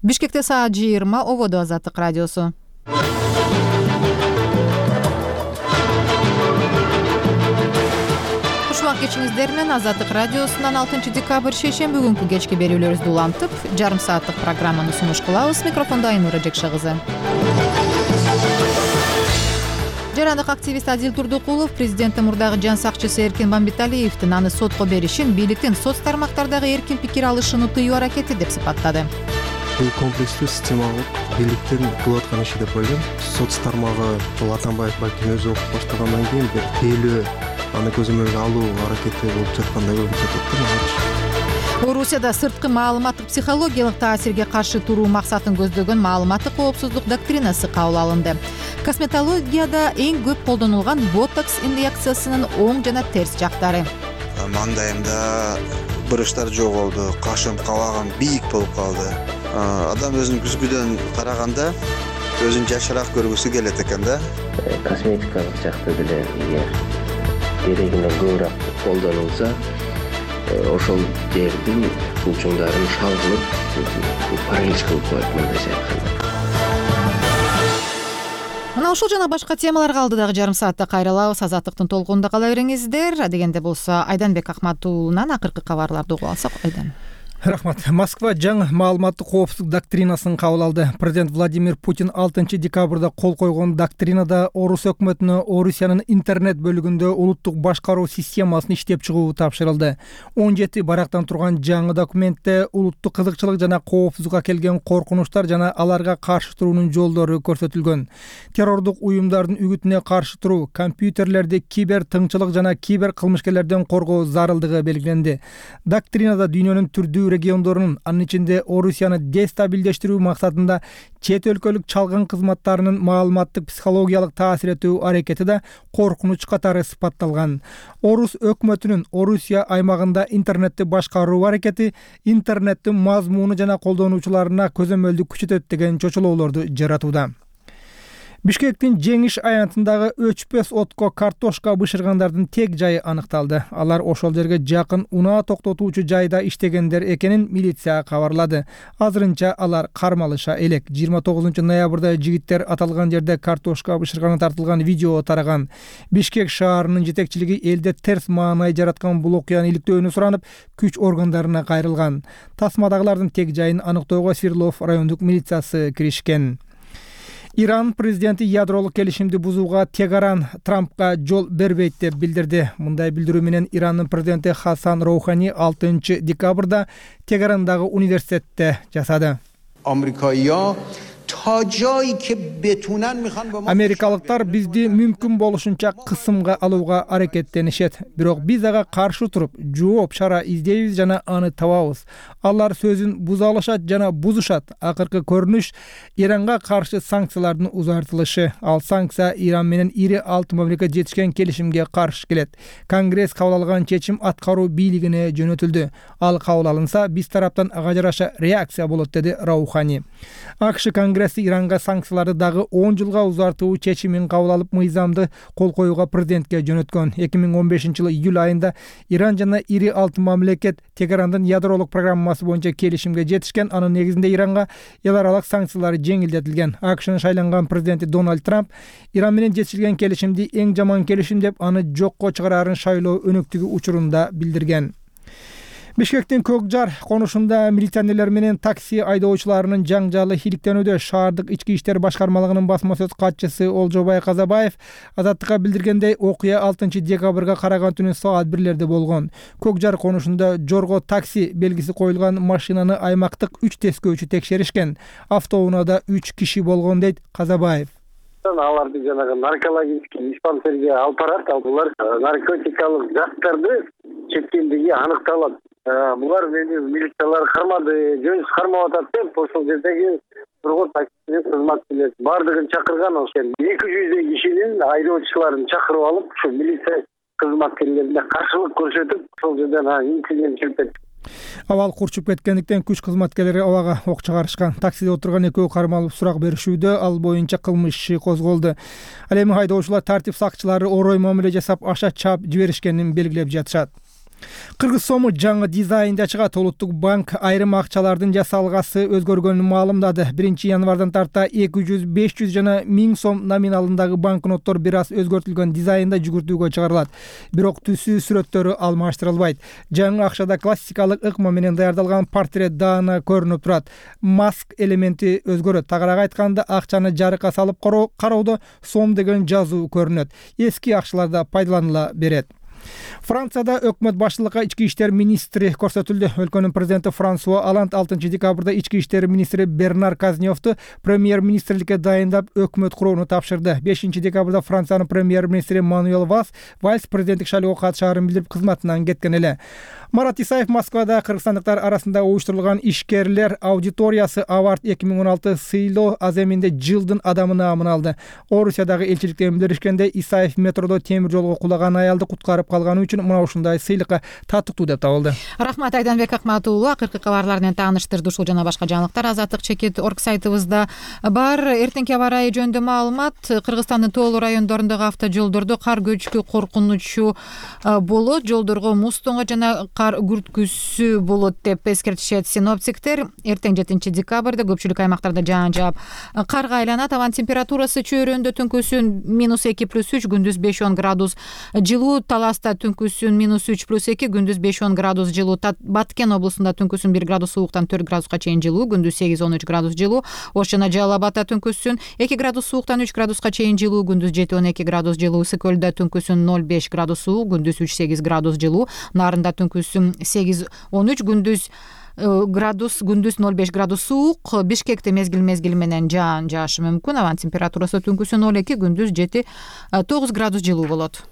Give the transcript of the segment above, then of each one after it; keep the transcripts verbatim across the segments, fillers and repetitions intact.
Бишкекте саат жыйырма, ободо Азаттык радиосу. Ушул кечиңиздер менен Азаттык радиосунан алтынчы декабрь шейшемби күнкү кечки берүүлөрүбүздү улантып, жарым сааттык программаны сунуш кылабыз. Микрофондо Айнура Жекше кызы. Жарандык активист Адил Турдукулов президенттин мурдагы жан сакчысы Эркин Мамбеталиевдин аны сотко беришин бийликтин соц тармактардагы эркин пикир алышын тыюу аракети деп сыпаттады. Бул комплекстүү системалык бийликтин кылып аткан иши деп ойлойм. Соц тармагы бул Атамбаев балким өзү окуп баштагандан кийин бир тейлөө аны көзөмөлгө алуу аракети болуп жаткандай көрүнүп жатат. Орусияда сырткы маалыматтык психологиялык таасирге каршы туруу максатын көздөгөн маалыматтык коопсуздук доктринасы кабыл алынды. Косметологияда эң көп колдонулган ботокс инъекциясынын оң жана терс жактары. Маңдайымда буручтар жоголду, кашым, кабагым бийик болуп калды. Адам өзүн күзгүдөн караганда өзүн жашыраак көргүсү келет экен да. Косметикалык жакты деле эгер керегинен көбүрөөк колдонулса, ошол жердин булчуңдарын шалгылып, паралич кылып коет мындайча айтканда. Мына ушул жана башка темаларга алдыдагы жарым саатта кайрылабыз. Азаттыктын толкунунда кала бериңиздер. Адегенде болсо Айданбек Акматуулунан акыркы кабарларды угуп алсак. Айдан. Рахмат. Москва жаңы маалыматтык коопсуздук доктринасын кабыл алды. Президент Владимир Путин алтынчы декабрда кол койгон доктринада Орус өкмөтүнө Орусиянын интернет бөлүгүндө улуттук башкаруу системасын иштеп чыгуу тапшырылды. он жети барактан турган жаңы документте улуттук кызыкчылык жана коопсуздукка келген коркунучтар жана аларга каршы туруунун жолдору көрсөтүлгөн. Террордук уюмдардын үгүтүнө каршы туруу, компьютерлерди кибер тыңчылык жана кибер кылмышкерлерден коргоо зарылдыгы белгиленди. Доктринада дүйнөнүн түрдүү региондорунун, анын ичинде Орусияны дестабилдештирүү максатында чет өлкөлүк чалгын кызматтарынын маалыматтык психологиялык таасир этүү аракети да коркунуч катары сыпатталган. Орус өкмөтүнүн Орусия аймагында интернетти башкаруу аракети интернеттин мазмуну жана колдонуучуларына көзөмөлдү күчөтөт деген чочулоолорду жаратууда. Бишкектин Жеңиш аянтындагы өчпөс отко картошка бышыргандардын тег жайы аныкталды. Алар ошол жерге жакын унаа токтотуучу жайда иштегендер экенин милиция кабарлады. Азырынча алар кармалыша элек. жыйырма тогузунчу ноябрда жигиттер аталган жерде картошка бышырганы тартылган видео тараган. Бишкек шаарынын жетекчилиги элде терс маанай жараткан бул окуяны иликтөөнү суранып, күч органдарына кайрылган. Тасмадагылардын тег жайын аныктоого Свердлов райондук милициясы киришкен. Иран президенти ядролук келишимди бузууга Тегеран Трампка жол бербейт деп билдирди. Мындай билдирүү менен Ирандын президенти Хасан Роухани алтынчы декабрда Тегерандагы университетте жасады. Америкалыктар бизди мүмкүн болушунча кысымга алууга аракеттенишет. Бирок биз ага каршы туруп, жооп чара издейбиз жана аны табабыз. Алар сөзүн буза алышат жана бузушат. Акыркы көрүнүш Иранга каршы санкциялардын узартылышы. Ал санкция Иран менен ири алты мамлекет жетишкен келишимге каршы келет. Конгресс кабыл алган чечим аткаруу бийлигине жөнөтүлдү. Ал кабыл алынса, биз тараптан ага жараша реакция болот, деди Раухани. АКШ Конгресс Иранга санкцияларды дагы он жылга узартуу чечимин кабыл алып, мыйзамды кол коюуга президентке жөнөткөн. эки миң он бешинчи жылы июль айында Иран жана ири алты мамлекет Тегерандын ядролук программасы боюнча келишимге жетишкен. Анын негизинде Иранга эл аралык санкциялар жеңилдетилген. АКШнын шайланган президенти Дональд Трамп Иран менен жетишилген келишимди эң жаман келишим деп, аны жокко чыгарарын шайлоо өнөктүгү учурунда билдирген. Бишкектин Көкжар конушунда милиционерлер менен такси айдоочуларынын жаңжалы иликтенүүдө. Шаардык ички иштер башкармалыгынын басма сөз катчысы Олжобай Казабаев Азаттыкка билдиргендей, окуя алтынчы декабрга караган түнү саат бирлерде болгон. Көкжар конушунда жорго такси белгиси коюлган машинаны аймактык үч тескөөчү текшеришкен. Автоунаада үч киши болгон, дейт Казабаев. Аларды жанагы наркологический диспансерге алып барат. Алар наркотикалык заттарды чеккендиги аныкталат. Булар мени милициялар кармады, жөнсүз кармап атат деп ошол жердеги тургун такси кызматкерлер бардыгын чакырган. Ошол эки жүздөй кишинин айдоочуларын чакырып алып, ошо милиция кызматкерлерине каршылык көрсөтүп, ошол жерден инцидент чыгып кетти. Абал курчуп кеткендиктен күч кызматкерлери абага ок чыгарышкан. Таксиде отурган экөө кармалып сурак беришүүдө. Ал боюнча кылмыш иши козголду. Ал эми айдоочулар тартип сакчылары орой мамиле жасап, аша чап жиберишкенин белгилеп жатышат. Кыргыз сому жаңы дизайнда чыгат. Улуттук банк айрым акчалардын жасалгасы өзгөргөнүн маалымдады. биринчи январдан тарта эки жүз, беш жүз жана миң сом номиналындагы банкноттор бир аз өзгөртүлгөн дизайнда жүгүртүүгө чыгарылат. Бирок түсү, сүрөттөрү алмаштырылбайт. Жаңы акчада классикалык ыкма менен даярдалган портрет даана көрүнүп турат. Маск элементи өзгөрөт. Тагыраак айтканда, акчаны жарыкка салып кароодо сом деген жазуу көрүнөт. Эски акчаларда пайдаланыла берет. Францияда өкмөт башчылыкка ички иштер министри көрсөтүлдү. Өлкөнүн президенти Франсуа Оланд алтынчы декабрда ички иштер министри Бернар Казневду премьер-министрликке дайындап өкмөт курууну тапшырды. бешинчи декабрда Франциянын премьер-министри Мануэл Вальс президенттик шайлоого катышаарын билдирип кызматынан кеткен эле. Марат Исаев Москвада кыргызстандыктар арасында уюштурулган ишкерлер аудиториясы Авард эки миң он алты сыйлоо аземинде жылдын адамы наамын алды. Орусиядагы элчиликте билдиришкенде, Исаев метродо темир жолго кулаган аялды куткарып калганы үчүн мына ушундай сыйлыкка татыктуу деп табылды. Рахмат Айданбек Акматуулу. Акыркы кабарлар менен тааныштырды. Ушул жана башка жаңылыктар азаттык чекит орг сайтыбызда бар. Эртеңки аба ырайы жөнүндө маалымат. Кыргызстандын тоолуу райондорундагы автожолдордо кар көчкү коркунучу болот. Жолдорго муз тоңо жана кар күрткүсү болот деп эскертишет синоптиктер. Эртең жетинчи декабрда көпчүлүк аймактарда жаан жаап карга айланат. Абанын температурасы чөйрөндө түнкүсүн минус эки плюс үч, күндүз беш он градус жылуу. Таласта түнкүсүн минус үч плюс эки, күндүз беш он градус жылуу. Баткен облусунда түнкүсүн бир градус сууктан төрт градуска чейин жылуу, күндүз сегиз он үч градус жылуу. Ош жана Жалал Абадда түнкүсүн эки градус сууктан үч градуска чейин жылуу, күндүз жети он эки градус жылуу. Ысык көлдө түнкүсүн ноль беш градус суук, күндүз үч сегиз градус жылуу. Нарында түнкүсүн сегиз он үч, күндүз градус, күндүз ноль беш градус суук. Бишкекте мезгил мезгили менен жаан жаашы мүмкүн. Абанын температурасы түнкүсүн ноль эки, күндүз жети тогуз градус жылуу болот.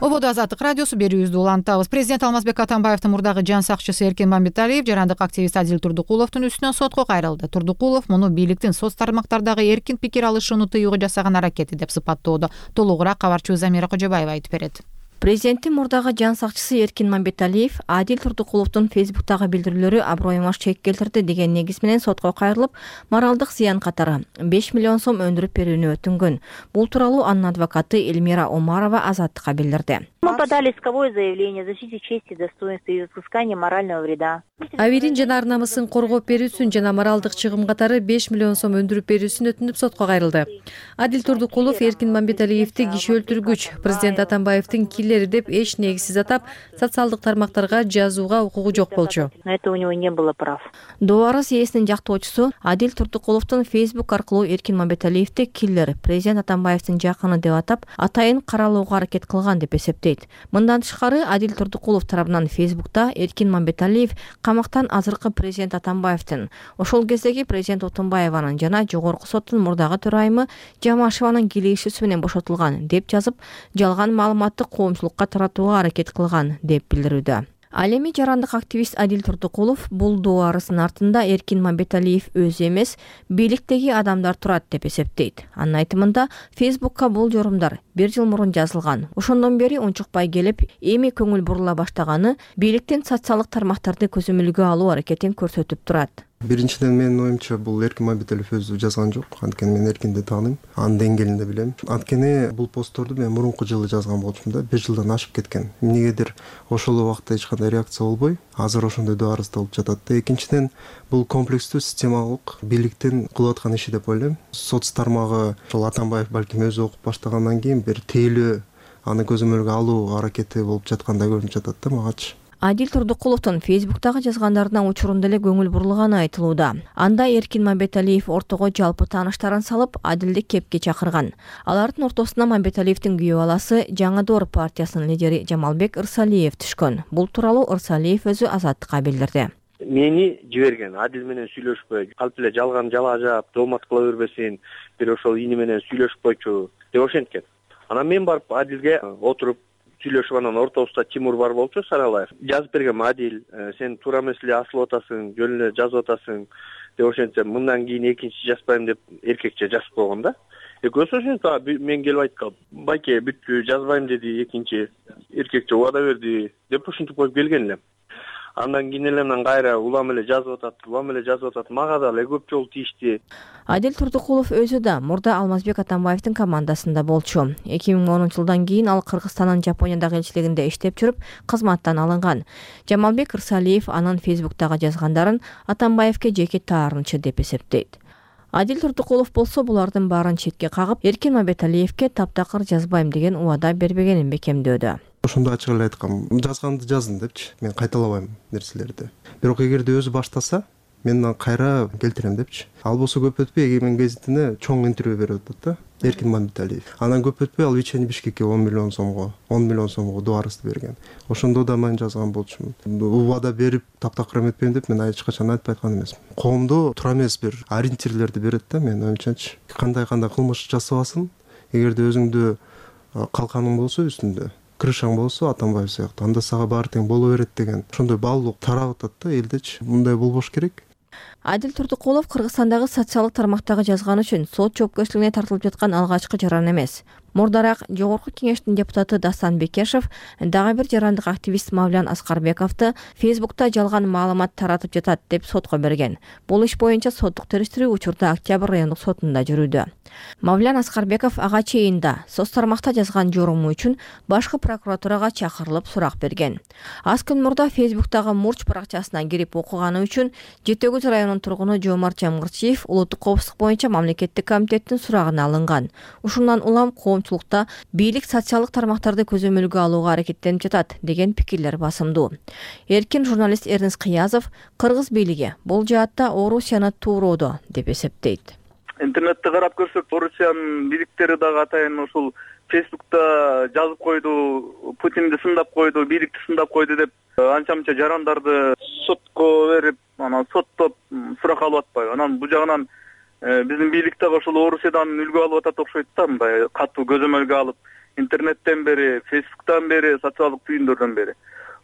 Ободо Азаттык радиосу берүүбүздү улантабыз. Президент Алмазбек Атамбаевдин мурдагы жан сакчысы Эркин Мамбеталиев жарандык активист Адил Турдукуловдун үстүнөн сотко кайрылды. Турдукулов муну бийликтин соц тармактардагы эркин пикир алышууну тыюуга жасаган аракети деп сыпаттоодо. Толугураак кабарчыбыз Замира Кожобаева айтып берет. Президенттин мурдагы жан сакчысы Эркин Мамбеталиев Адил Турдукуловдун фейсбуктагы билдирүүлөрү аброюма чек келтирди деген негиз менен сотко кайрылып, моралдык зыян катары беш миллион сом өндүрүп берүүнү өтүнгөн. Бул тууралуу анын адвокаты Эльмира Омарова Азаттыкка билдирди. Мы подали исковое заявление о защите чести, достоинства и взыскания морального вреда. Абийдин жана ар намысын коргоп берүүсүн жана моралдык чыгым катары беш миллион сом өндүрүп берүүсүн өтүнүп сотко кайрылды. Адил Турдукулов Эркин Мамбеталиевди киши өлтүргүч, президент Атамбаевдин киллери деп эч негизсиз атап, социалдык тармактарга жазууга укугу жок болчу. На это у него не было прав. Доо арыз ээсинин жактоочусу Адил Турдукуловдун фейсбук аркылуу Эркин Мамбеталиевди киллер, президент Атамбаевдин жакыны деп атап, атайын каралууга аракет кылган деп эсептейт. Мындан тышкары Адил Турдукулов тарабынан фейсбукта Эркин Мамбеталиев камактан азыркы президент Атамбаевдин, ошол кездеги президент Отунбаеванын жана жогорку соттун мурдагы төрайымы Жамашеванын кийлигишүүсү менен бошотулган деп жазып, жалган маалыматты коомчулукка таратууга аракет кылган деп билдирүүдө. Ал эми жарандык активист Адил Турдукулов бул доо арыздын артында Эркин Мамбеталиев өзү эмес, бийликтеги адамдар турат деп эсептейт. Анын айтымында фейсбукка бул жорумдар бир жыл мурун жазылган. Ошондон бери унчукпай келип, эми көңүл бурула баштаганы бийликтин социалдык тармактарды көзөмөлгө алуу аракетин көрсөтүп турат. Биринчиден менин оюмча бул Эркин Мамбеталиев өзү жазган жок. Анткени мен Эркинди тааныйм, анын деңгээлинде билем. Анткени бул постторду мен мурунку жылы жазган болчумун да, беш жылдан ашып кеткен. Эмнегедир ошол убакта эч кандай реакция болбой, азыр ошондой доо арызда болуп жатат да. Экинчиден бул комплекстүү системалык бийликтин кылып аткан иши деп ойлойм. Соц тармагы ошол Атамбаев балким өзү окуп баштагандан кийин бир тейлөө аны көзөмөлгө алуу аракети болуп жаткандай көрүнүп жатат да магачы. Адил Турдукуловдун фейсбуктагы жазгандарына учурунда эле көңүл бурулганы айтылууда. Анда Эркин Мамбеталиев ортого жалпы тааныштарын салып, Адилди кепке чакырган. Алардын ортосуна Мамбеталиевдин күйөө баласы Жаңы Доор партиясынын лидери Жамалбек Ырсалиев түшкөн. Бул тууралуу Ырсалиев өзү Азаттыкка билдирди. Мени жиберген, Адил менен сүйлөшпөй, калп эле жалган жала жаап, доомат кыла бербесин, бир ошол ини менен сүйлөшпөйчү деп ошенткен. Анан мен барып Адилге отуруп сүйлөшүп, анан ортобузда Тимур бар болчу, Саралаев. Жазып берген, Адил, сен туура эмес эле асылып атасың, жөн эле жазып атасың деп ошентсем, мындан кийин экинчи жазбайм деп эркекче жазып койгон да. Экөөсү ошентип мен келип айткам, байке бүттү, жазбайм деди, экинчи эркекче убада берди деп ошентип коюп келген элем. Андан кийин эле анан кайра улам эле жазып атат, улам эле жазып атат. Мага да эле көп жолу тийишти. Адил Турдукулов өзү да мурда Алмазбек Атамбаевдин командасында болчу. эки миң онунчу жылдан кийин ал Кыргызстандын Жапониядагы элчилигинде иштеп жүрүп, кызматтан алынган. Жамалбек Ырсалиев анын Фейсбуктагы жазгандарын Атамбаевге жеке таарынчы деп эсептейт. Адил Турдукулов болсо булардын баарын четке кагып, Эркин Мамбеталиевке таптакыр жазбайм деген убада бербегенин бекемдөөдө. Ошондо ачык эле айткам, жазганды жазын депчи, мен кайталабайм нерселерди. Бирок эгерде өзү баштаса, мен анан кайра келтирем депчи. Ал болсо көп өтпөй Эгемен гезитине чоң интервью берип атат да, Эркин Мамбеталиев. Анан көп өтпөй ал Вечерний Бишкекке он миллион сомго, он миллион сомго дуарысты берген. Ошондо да мен жазган болчумун. Убада берип таптакыр эметпейм деп мен эч качан айтпай аткан эмесмин. Коомдо тура эмес бир ориентирлерди берет да, мен оюмчачы. Кандай кандай кылмыш жасабасын, эгерде өзүңдө калканың болсо үстүндө, крышаң болсо Атамбаев сыяктуу, анда сага баары тең боло берет деген ошондой баалуулук тарап атат да элдечи. Мындай болбош керек. Адил Турдукулов Кыргызстандагы социалдык тармактагы жазганы үчүн сот жоопкерчилигине тартылып жаткан алгачкы жаран эмес. Мурдараак Жогорку Кеңештин депутаты Дастан Бекешев дагы бир жарандык активист Мавлян Аскарбековду Фейсбукта жалган маалымат таратып жатат деп сотко берген. Бул иш боюнча соттук териштирүү учурда Октябрь райондук сотунда жүрүүдө. Мавлян Аскарбеков ага чейин да соц тармакта жазган жоруму үчүн башкы прокуратурага чакырылып сурак берген. Аз күн мурда Фейсбуктагы Мурч баракчасына кирип окуганы үчүн Жети Өгүз районунун тургуну Жомарт Жамгырчиев улуттук коопсуздук боюнча мамлекеттик комитеттин сурагына алынган. Ушундан улам коомчулукта бийлик социалдык тармактарды көзөмөлгө алууга аракеттенип жатат деген пикирлер басымдуу. Эркин журналист Эрнис Кыязов кыргыз бийлиги бул жаатта Орусияны тууруудо деп эсептейт. Интернетте карап көрсөк, Орусиянын бийликтери дагы атайын ушул Фейсбукта жазып койду, Путинди сындап койду, бийликти сындап койду деп анча-мынча жарандарды сотко берип, анан соттоп сурак алып атпайбы. Анан бул жагынан биздин бийлик дагы ошол Орусиядан үлгү алып атат окшойт да, мындай катуу көзөмөлгө алып, интернеттен бери, Фейсбуктан бери, социалдык түйүндөрдөн бери.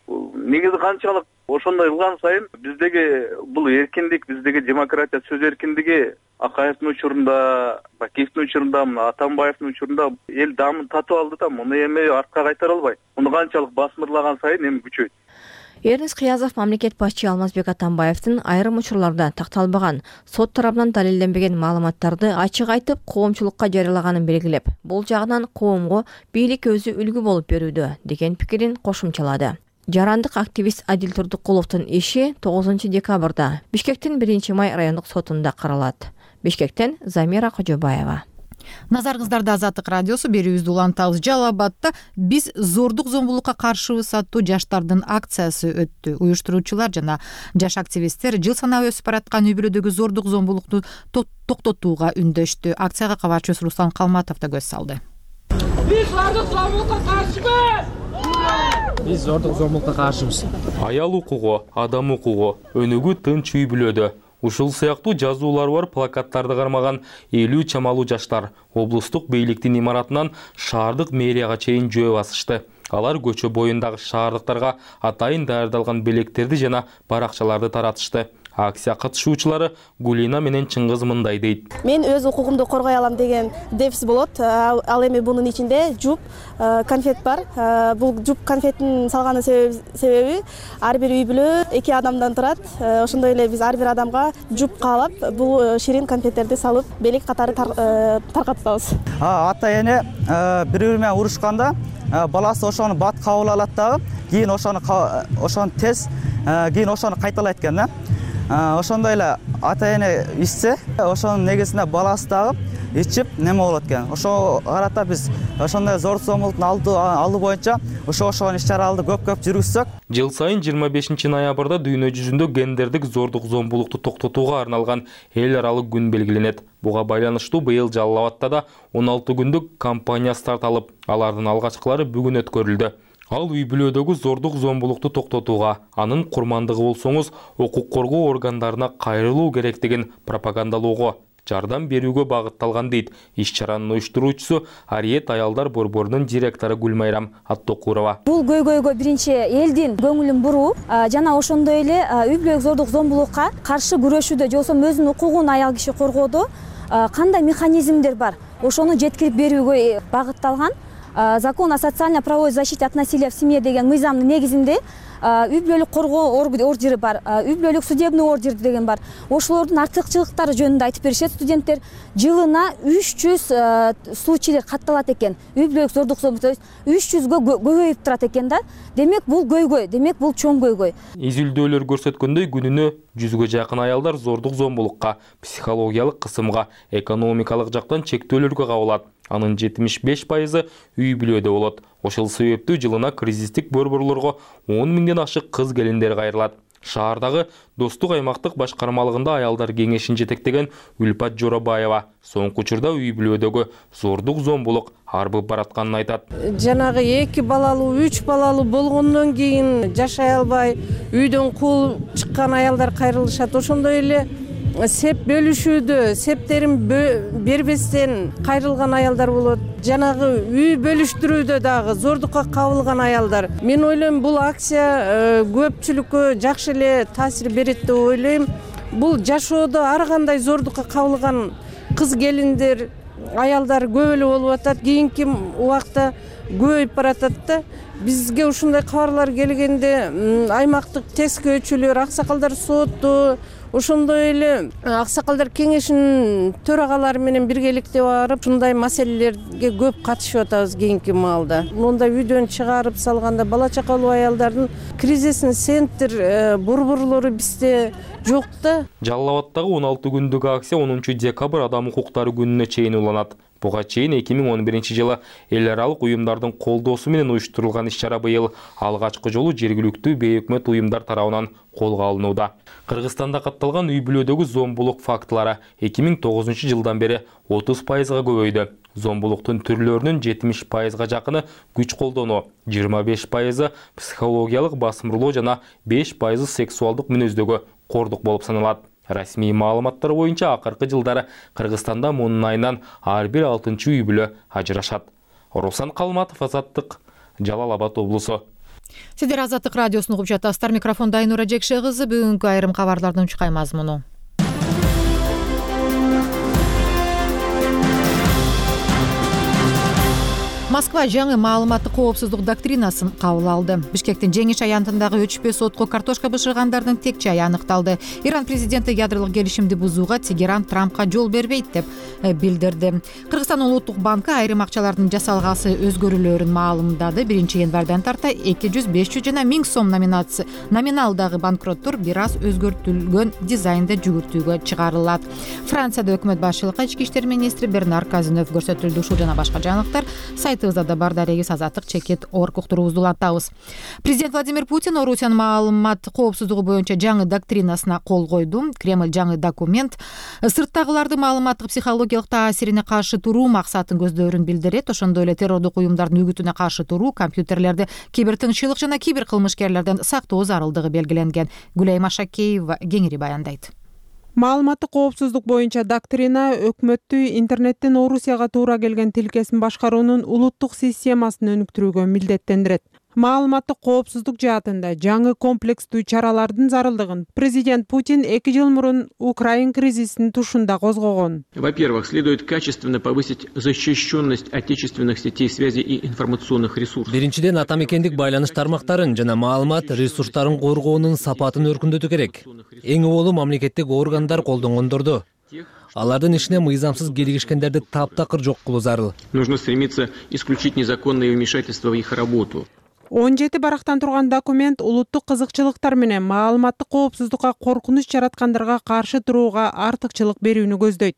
Негизи канчалык ошондой кылган сайын биздеги бул эркиндик, биздеги демократия, сөз эркиндиги Акаевдин учурунда, Бакиевдин учурунда, мына Атамбаевдин учурунда эл дамын татып алды да, муну эми артка кайтара албайт. Муну канчалык басмырлаган сайын эми күчөйт. Эрнис Кыязов мамлекет башчы Алмазбек Атамбаевдин айрым учурларда такталбаган, сот тарабынан далилденбеген маалыматтарды ачык айтып, коомчулукка жарыялаганын белгилеп, бул жагынан коомго бийлик өзү үлгү болуп берүүдө деген пикирин кошумчалады. Жарандык активист Адил Турдукуловдун иши тогузунчу декабрда Бишкектин биринчи май райондук сотунда каралат. Бишкектен Замира Кожобаева. Назарыңыздарда Азаттык радиосу, берүүбүздү улантабыз. Жалал Абадта биз зордук зомбулукка каршыбыз аттуу жаштардын акциясы өттү. Уюштуруучулар жана жаш активисттер жыл санап өсүп бараткан үй бүлөдөгү зордук зомбулукту токтотууга үндөштү. Акцияга кабарчыбыз Руслан Калматов да көз салды. Биз зордук зомбулукка каршыбыз. Биз зордук зомбулукка каршыбыз. Аял укугу, адам укугу, өнүгүү тынч үй бүлөдө. Ушул сыяктуу жазуулар бар плакаттарды кармаган элүү чамалуу жаштар облустук бийликтин имаратынан шаардык мэрияга чейин жөө басышты. Алар көчө боюндагы шаардыктарга атайын даярдалган белектерди жана баракчаларды таратышты. Акция катышуучулары Гулина менен Чыңгыз мындай дейт. Мен өз укугумду коргой алам деген девиз болот. Ал эми бунун ичинде жуп, конфет бар. Бул жуп конфеттин салганы себеби ар бир үй бүлө эки адамдан турат. Ошондой эле биз ар бир адамга жуп каалап, бул ширин конфеттерди салып, белек катары таркатабыз. Ата эне бири-бири менен урушканда баласы ошону бат кабыл алат дагы, кийин ошону ошону тез кийин ошону кайталайт экен да. Ошондой эле ата эне ичсе, ошонун негизинде баласы дагы ичип неме болот экен. Ошо карата биз ошондой зор зомбулуктун алуу боюнча ошо ошол иш-чараларды көп-көп жүргүзсөк. Жыл сайын жыйырма бешинчи ноябрда дүйнө жүзүндө гендердик зордук зомбулукту токтотууга арналган эл аралык күн белгиленет. Буга байланыштуу быйыл Жалал Абадта да он алты күндүк кампания старт алып, алардын алгачкылары бүгүн өткөрүлдү. Ал үй бүлөдөгү зордук зомбулукту токтотууга, анын курмандыгы болсоңуз, укук коргоо органдарына кайрылуу керектигин пропагандалоого, жардам берүүгө багытталган дейт иш-чаранын уюштуруучусу Ариет аялдар борборунун директору Гүлмайрам Аттокурова. Бул көйгөйгө биринчи элдин көңүлүн буруу жана ошондой эле үй бүлөлүк зордук зомбулукка каршы күрөшүүдө, же болбосо өзүнүн укугун аял киши коргоодо кандай механизмдер бар, ошону жеткирип берүүгө багытталган. закон о социально правовой защите от насилия в семье деген мыйзамдын негизинде үй бүлөлүк коргоо ордери бар, үй бүлөлүк судебный ордер деген бар. Ошолордун артыкчылыктары жөнүндө айтып беришет студенттер. Жылына үч жүз случайлар катталат экен. Үй бүлөлүк зордук зомбулук үч жүзгө көбөйүп турат экен да. Демек бул көйгөй, демек бул чоң көйгөй. Изилдөөлөр көрсөткөндөй күнүнө жүзгө жакын аялдар зордук зомбулукка, психологиялык кысымга, экономикалык жактан чектөөлөргө кабылат. Анын жетимиш беш пайызы үй бүлөдө болот. Ошол себептүү жылына кризистик борборлорго он миңден ашык кыз келиндер кайрылат. Шаардагы Достук аймактык башкармалыгында аялдар кеңешин жетектеген Үлпат Жоробаева соңку учурда үй бүлөдөгү зордук зомбулук арбып баратканын айтат. Жанагы эки балалуу, үч балалуу болгондон кийин жашай албай, үйдөн кул чыккан аялдар кайрылышат. Ошондой эле сеп бөлүшүүдө, септерин бербестен кайрылган аялдар болот. Жанагы үй бөлүштүрүүдө дагы зордукка кабылган аялдар. Мен ойлойм, бул акция көпчүлүккө жакшы эле таасир берет деп ойлойм. Бул жашоодо ар кандай зордукка кабылган кыз келиндер, аялдар көп эле болуп атат. Кийинки убакта көбөйүп баратат да. Бизге ушундай кабарлар келгенде аймактык тескөөчүлөр, аксакалдар соту, ошондой эле аксакалдар кеңешинин төрагалары менен биргеликте барып, ушундай маселелерге көп катышып атабыз кийинки маалда. Монда үйдөн чыгарып салганда бала чакалуу аялдардын кризисный центр борборлору бизде жок да. Жалал Абаддагы он алты күндүк акция онунчу декабрь адам укуктары күнүнө чейин уланат. Буга чейин эки миң он биринчи жылы эл аралык уюмдардын колдоосу менен уюштурулган иш-чара быйыл алгачкы жолу жергиликтүү бейөкмөт уюмдар тарабынан колго алынууда. Кыргызстанда катталган үй бүлөдөгү зомбулук фактылары эки миң тогузунчу жылдан бери отуз пайызга көбөйдү. Зомбулуктун түрлөрүнүн жетимиш пайызга жакыны күч колдонуу, жыйырма беш пайызы психологиялык басымдыруу жана беш пайызы сексуалдык мүнөздөгү кордук болуп саналат. Расмий маалыматтар боюнча акыркы жылдары Кыргызстанда мунун айынан ар бир алтынчы үй бүлө ажырашат. Руслан Калматов, Азаттык, Жалал Абад облусу. Сиздер Азаттык радиосун угуп жатасыздар. Микрофондо Айнура Жекше кызы. Бүгүнкү айрым кабарлардын чукай мазмуну. Москва жаңы маалыматтык коопсуздук доктринасын кабыл алды. Бишкектин Жеңиш аянтындагы өчпө сотко картошка бышыргандардын тек чайы аныкталды. Иран президенти ядролук келишимди бузууга Тегеран Трампка жол бербейт деп билдирди. Кыргызстан улуттук банкы айрым акчалардын жасалгасы өзгөрүүлөрүн маалымдады. биринчи январдан тарта эки жүз, беш жүз жана миң сом номинация номиналдагы банкроттор бир аз өзгөртүлгөн дизайнда жүгүртүүгө чыгарылат. Францияда өкмөт башчылыкка ички иштер министри Бернар Казинов көрсөтүлдү. Ушул жана башка жаңылыктар сайтыбызда бар. Дарегиз Азаттык чекит орг уктуруубузду улантабыз. Президент Владимир Путин Орусиянын маалымат коопсуздугу боюнча жаңы доктринасына кол койду. Кремль жаңы документ сырттагыларды маалыматтык психологиялык таасирине каршы туруу максатын көздөрүн билдирет. Ошондой эле террордук уюмдардын үгүтүнө каршы туруу, компьютерлерди кибертынччылык жана кибер кылмышкерлерден сактоо зарылдыгы белгиленген. Гүлайма Шакеева кеңири баяндайт. Маалыматтык коопсуздук боюнча доктрина өкмөттү интернеттен Орусияга туура келген тилкесин башкаруунун улуттук системасын өнүктүрүүгө милдеттендирет. Маалыматтык коопсуздук жаатында жаңы комплекстүү чаралардын зарылдыгын президент Путин эки жыл мурун Украин кризисинин тушунда козгогон. Во-первых, следует качественно повысить защищенность отечественных сетей связи и информационных ресурсов. Биринчиден, ата мекендик байланыш тармактарын жана маалымат ресурстарын коргоонун сапатын өркүндөтүү керек. Эң оболу мамлекеттик органдар колдонгондорду, алардын ишине мыйзамсыз киргишкендерди таптакыр жок кылуу зарыл. Нужно стремиться исключить незаконное вмешательство в их работу. он жети барактан турган документ улуттук кызыкчылыктар менен маалыматтык коопсуздукка коркунуч жараткандарга каршы турууга артыкчылык берүүнү көздөйт.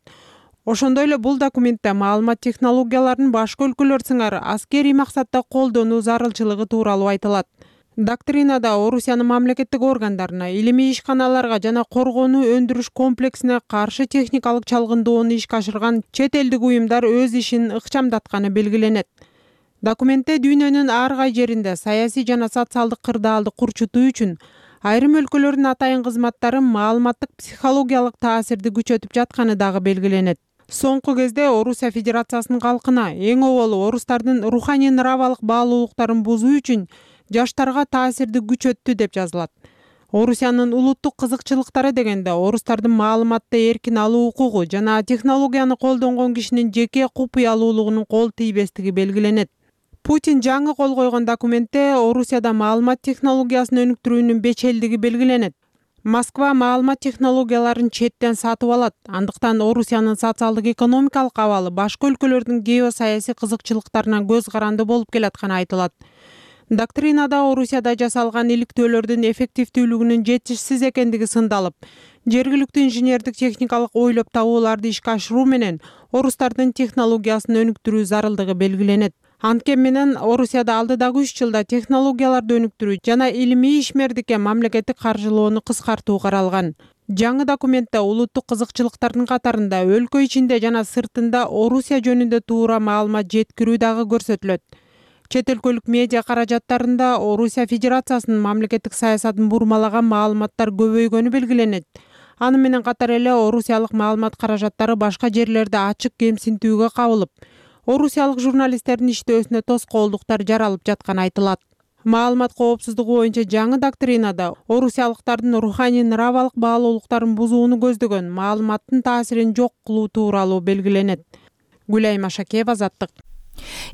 Ошондой эле бул документте маалымат технологияларын башка өлкөлөр сыңары аскерий максатта колдонуу зарылчылыгы тууралуу айтылат. Доктринада Орусиянын мамлекеттик органдарына, илимий ишканаларга жана коргонуу өндүрүш комплексине каршы техникалык чалгындоону ишке ашырган чет элдик уюмдар өз ишин ыкчамдатканы белгиленет. Документте дүйнөнүн ар кай жеринде саясий жана социалдык кырдаалды курчутуу үчүн айрым өлкөлөрдүн атайын кызматтары маалыматтык психологиялык таасирди күчөтүп жатканы дагы белгиленет. Соңку кезде Орусия Федерациясынын калкына эң оболу орустардын руханий нравалык баалуулуктарын бузуу үчүн жаштарга таасирди күчөттү деп жазылат. Орусиянын улуттук кызыкчылыктары дегенде орустардын маалыматты эркин алуу укугу жана технологияны колдонгон кишинин жеке купуялуулугунун кол тийбестиги белгиленет. Путин жаңы кол койгон документте Орусияда маалымат технологиясын өнүктүрүүнүн бечелдиги белгиленет. Москва маалымат технологияларын четтен сатып алат. Андыктан Орусиянын социалдык экономикалык абалы башка өлкөлөрдүн геосаясий кызыкчылыктарына көз каранды болуп келатканы айтылат. Доктринада Орусияда жасалган иликтөөлөрдүн эффективдүүлүгүнүн жетишсиз экендиги сындалып, жергиликтүү инженердик техникалык ойлоп табууларды ишке ашыруу менен орустардын технологиясын өнүктүрүү зарылдыгы белгиленет. Анткени менен Орусияда алдыдагы үч жылда технологияларды өнүктүрүү жана илимий ишмердикке мамлекеттик каржылоону кыскартуу каралган. Жаңы документте улуттук кызыкчылыктардын катарында өлкө ичинде жана сыртында Орусия жөнүндө туура маалымат жеткирүү дагы көрсөтүлөт. Чет өлкөлүк медиа каражаттарында Орусия Федерациясынын мамлекеттик саясатын бурмалаган маалыматтар көбөйгөнү белгиленет. Аны менен катар эле орусиялык маалымат каражаттары башка жерлерде ачык кемсинтүүгө кабылып, орусиялык журналисттердин иштөөсүнө тоскоолдуктар жаралып жатканы айтылат. Маалымат коопсуздугу боюнча жаңы доктринада орусиялыктардын руханий нравалык баалуулуктарын бузууну көздөгөн маалыматтын таасирин жок кылуу тууралуу белгиленет. Гүлайым Ашакеева, Азаттык.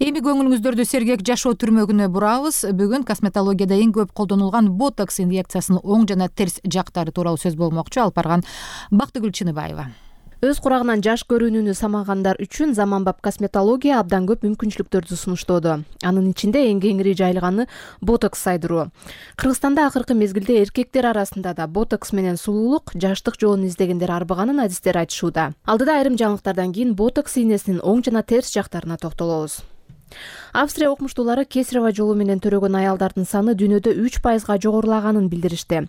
Эми көңүлүңүздөрдү сергек жашоо түрмөгүнө бурабыз. Бүгүн косметологияда эң көп колдонулган ботокс инъекциясынын оң жана терс жактары тууралуу сөз болмокчу. Алып барган Бактыгүл Чыныбаева. Өз курагынан жаш көрүүнүнү самагандар үчүн заманбап косметология абдан көп мүмкүнчүлүктөрдү сунуштоодо. Анын ичинде эң кеңири жайылганы ботокс сайдыруу. Кыргызстанда акыркы мезгилде эркектер арасында да ботокс менен сулуулук, жаштык жолун издегендер арбыганын адистер айтышууда. Алдыда айрым жаңылыктардан кийин ботокс ийнесинин оң жана терс жактарына токтолобуз. Австрия окумуштуулары кесарево жолу менен төрөгөн аялдардын саны дүйнөдө үч пайызга жогорулаганын билдиришти.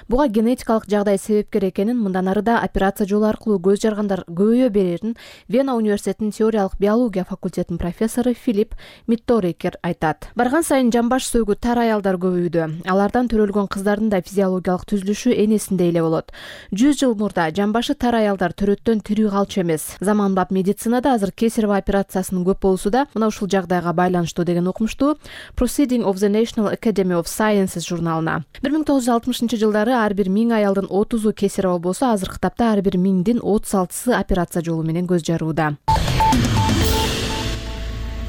Буга генетикалык жагдай себепкер экенин, мындан ары да операция жолу аркылуу көз жаргандар көбөйө берерин Вена университетинин теориялык биология факультетинин профессору Филипп Митторикер айтат. Барган сайын жамбаш сөөгү тар аялдар көбөйдү. Алардан төрөлгөн кыздардын да физиологиялык түзүлүшү энесиндей эле болот. жүз жыл мурда жамбашы тар аялдар төрөттөн тирүү калчу эмес. Заманбап медицинада азыр кесарево операциясынын көп болуусу да мына ушул жагдайга байланыштуу деген окумуштуу Proceeding of the National Academy of Sciences журналына. бир миң тогуз жүз алтымышынчы жылдары ар бир миң аялдын отузу кесарево болсо, азыркы тапта ар бир миңдин отуз алтысы операция жолу менен көз жарууда.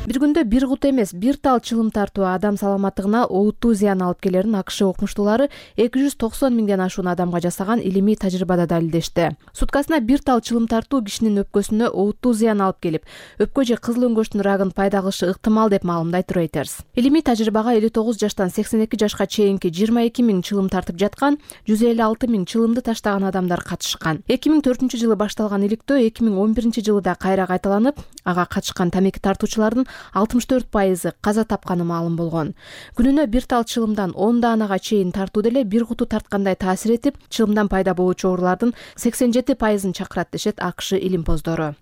Бир күндө бир кут эмес, бир тал чылым тартуу адам саламаттыгына олуттуу зыян алып келерин АКШ окумуштуулары эки жүз токсон миңден ашуун адамга жасаган илимий тажрыйбада далилдешти. Суткасына бир тал чылым тартуу кишинин өпкөсүнө олуттуу зыян алып келип, өпкө же кызыл өңгөчтүн рагын пайда кылышы ыктымал деп маалымдайт Reuters. Илимий тажрыйбага элүү тогуз жаштан сексен эки жашка чейинки жыйырма эки миң чылым тартып жаткан жүз элүү алты миң чылымды таштаган адамдар катышкан. эки миң төртүнчү жылы башталган иликтөө эки миң он биринчи жылы да кайра кайталанып, ага катышкан тамеки тартуучулардын алтымыш төрт пайызы каза тапканы маалым болгон. Күнүнө бир тал чылымдан он даанага чейин тартуу деле бир куту тарткандай таасир этип, чылымдан пайда болуучу оорулардын сексен жети пайызын чакырат дешет АКШ илимпоздору.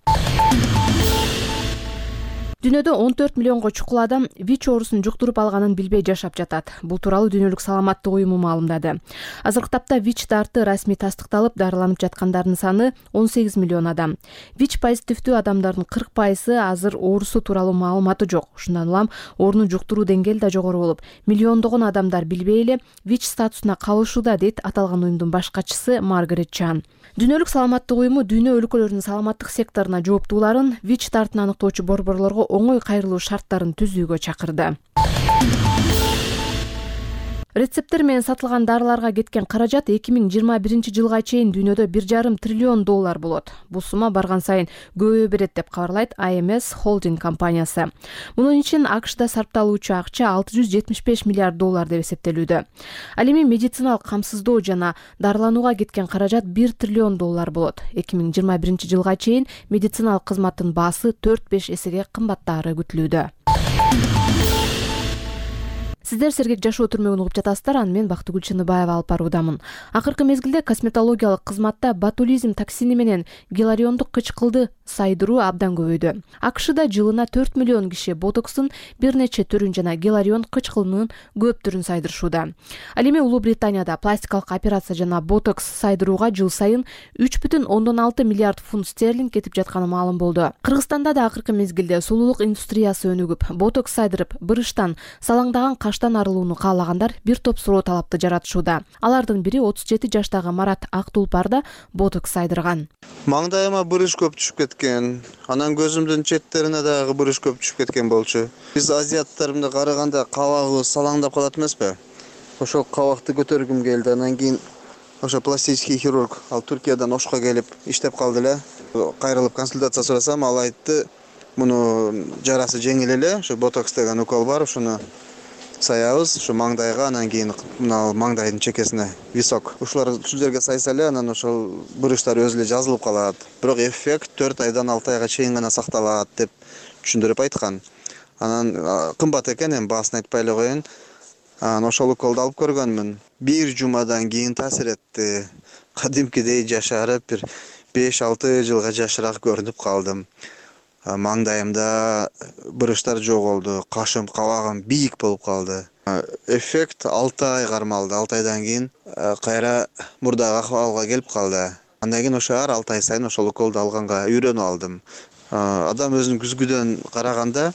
Дүйнөдө он төрт миллионго чукул адам ВИЧ оорусун жуктуруп алганын билбей жашап жатат. Бул тууралуу Дүйнөлүк саламаттык уюму маалымдады. Азыркы тапта ВИЧ дарты расмий тастыкталып, дарыланып жаткандардын саны он сегиз миллион адам. ВИЧ позитивдүү адамдардын кырк пайызы азыр оорусу тууралуу маалыматы жок. Ушундан улам оорууну жуктуруу деңгээли да жогору болуп, миллиондогон адамдар билбей эле ВИЧ статусуна калышууда, дейт аталган уюмдун баш катчысы Маргарет Чан. Дүйнөлүк саламаттык уюму дүйнө өлкөлөрүнүн саламаттык секторуна жооптууларын ВИЧ дартын аныктоочу борборлорго оңой кайрылуу шарттарын түзүүгө чакырды. Рецепттер менен сатылган дарыларга кеткен каражат эки миң жыйырма биринчи жылга чейин дүйнөдө бир жарым триллион доллар болот. Бул сумма барган сайын көбөйө берет деп кабарлайт ай эм эс Holding компаниясы. Мунун үчүн АКШда сарпталуучу акча алты жүз жетимиш беш миллиард доллар деп эсептелүүдө. Ал эми медициналык камсыздоо жана дарыланууга кеткен каражат бир триллион доллар болот. эки миң жыйырма биринчи жылга чейин медициналык кызматтын баасы төрт беш эсеге кымбаттаары күтүлүүдө. Сиздер сергек жашоо түрмөгүн угуп жатасыздар, аны мен Бактыгүл Чыныбаева алып баруудамын. Акыркы мезгилде косметологиялык кызматта ботулизм токсини менен гиалурондук кычкылды сайдыруу абдан көбөйдү. АКШда жылына төрт миллион киши ботокстун бир нече түрүн жана гиалурон кычкылынын көп түрүн сайдырышууда. Ал эми Улуу Британияда пластикалык операция жана ботокс сайдырууга жыл сайын үч бүтүн ондон алты миллиард фунт стерлинг кетип жатканы маалым болду. Кыргызстанда да акыркы мезгилде сулуулук индустриясы өнүгүп, ботокс сайдырып, бырыштан салаңдаган каштан жумуштан арылууну каалагандар бир топ суроо талапты жаратышууда. Алардын бири отуз жети жаштагы Марат Актулпарда ботокс сайдырган. Маңдайыма бурыш көп түшүп кеткен. Анан көзүмдүн четтерине дагы бурыш көп түшүп кеткен болчу. Биз азиаттарымда караганда кабагыбыз салаңдап калат эмеспи? Ошол кабакты көтөргүм келди. Анан кийин ошо пластический хирург ал Түркиядан Ошко келип иштеп калды эле. Кайрылып консультация сурасам, ал айтты, муну жарасы жеңил эле, ошо ботокс деген укол бар, ошону саябыз, ошо маңдайга, анан кийин мына маңдайдын чекесине висок. Ушулар сүзлөргө сайса эле, анан ошол бурыштар өзү эле жазылып калат. Бирок эффект төрт айдан алты айга чейин гана сакталат деп түшүндүрүп айткан. Анан кымбат экен, эми баасын айтпай эле коеюн. Анан ошол уколду алып көргөнмүн. Бир жумадан кийин таасир этти. Кадимкидей жашарып, бир беш алты жылга жашыраак көрүнүп калдым. Маңдайымда бурыштар жоголду, кашым, кабагым бийик болуп калды. Эффект алты ай кармалды. алты айдан кийин кайра мурдагы акыбалга келип калды. Андан кийин ошо ар алты ай сайын ошол уколду алганга үйрөнүп алдым. Адам өзүн күзгүдөн караганда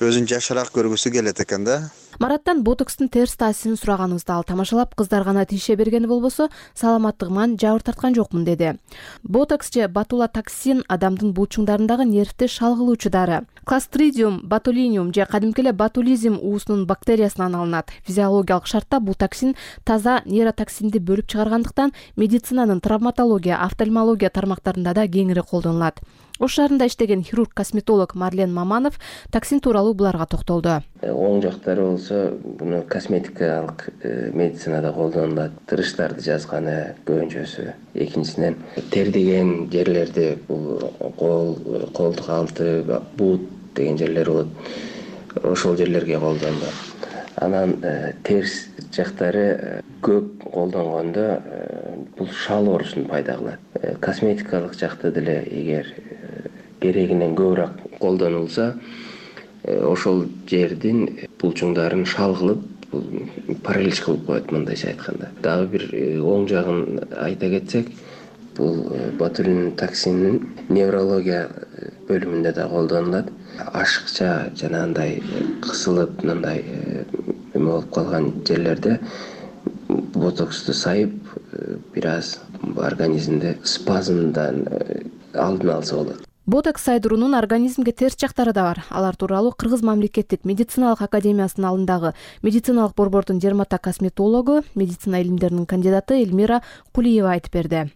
өзүн жашыраак көргүсү келет экен да. Мараттан ботокстун терс таасирин сураганыбызда ал тамашалап, кыздар гана тийише бергени болбосо саламаттыгыман жабыр тарткан жокмун деди. Ботокс же ботулотоксин адамдын булчуңдарындагы нервти шалгылоочу дары. Кластридиум ботулиниум же кадимки эле ботулизм уусунун бактериясынан алынат. Физиологиялык шартта бул токсин таза нейротоксинди бөлүп чыгаргандыктан медицинанын травматология, офтальмология тармактарында да кеңири колдонулат. Ош шаарында иштеген хирург-косметолог Марлен Маманов токсин тууралуу буларга токтолду. Оң жактары болсо, буну косметикалык медицинада колдонулат. Тырыштарды жазганы көбүнчөсү. Экинчисинен тердеген жерлерде бул кол, колдук алты, бут деген жерлер болот. Ошол жерлерге колдонулат. Анан терс жактары көп колдонгондо бул шал оорусун пайда кылат. Косметикалык жакта деле эгер керегинен көбүрөөк колдонулса, ошол жердин булчуңдарын шалгылып, паралич кылып коет, мындайча айтканда. Дагы бир оң жагын айта кетсек, бул ботулотоксиндин неврология бөлүмүндө да колдонулат. Ашыкча жанагындай кысылып, мындай эме болуп калган жерлерде ботоксту сайып, бир аз организмде спазмдан алдын алса болот. Ботокс сайдыруунун организмге терс жактары да бар. Алар тууралуу Кыргыз мамлекеттик медициналык академиясынын алдындагы медициналык борбордун дерматокосметологу, медицина илимдеринин кандидаты Эльмира Кулиева айтып берди.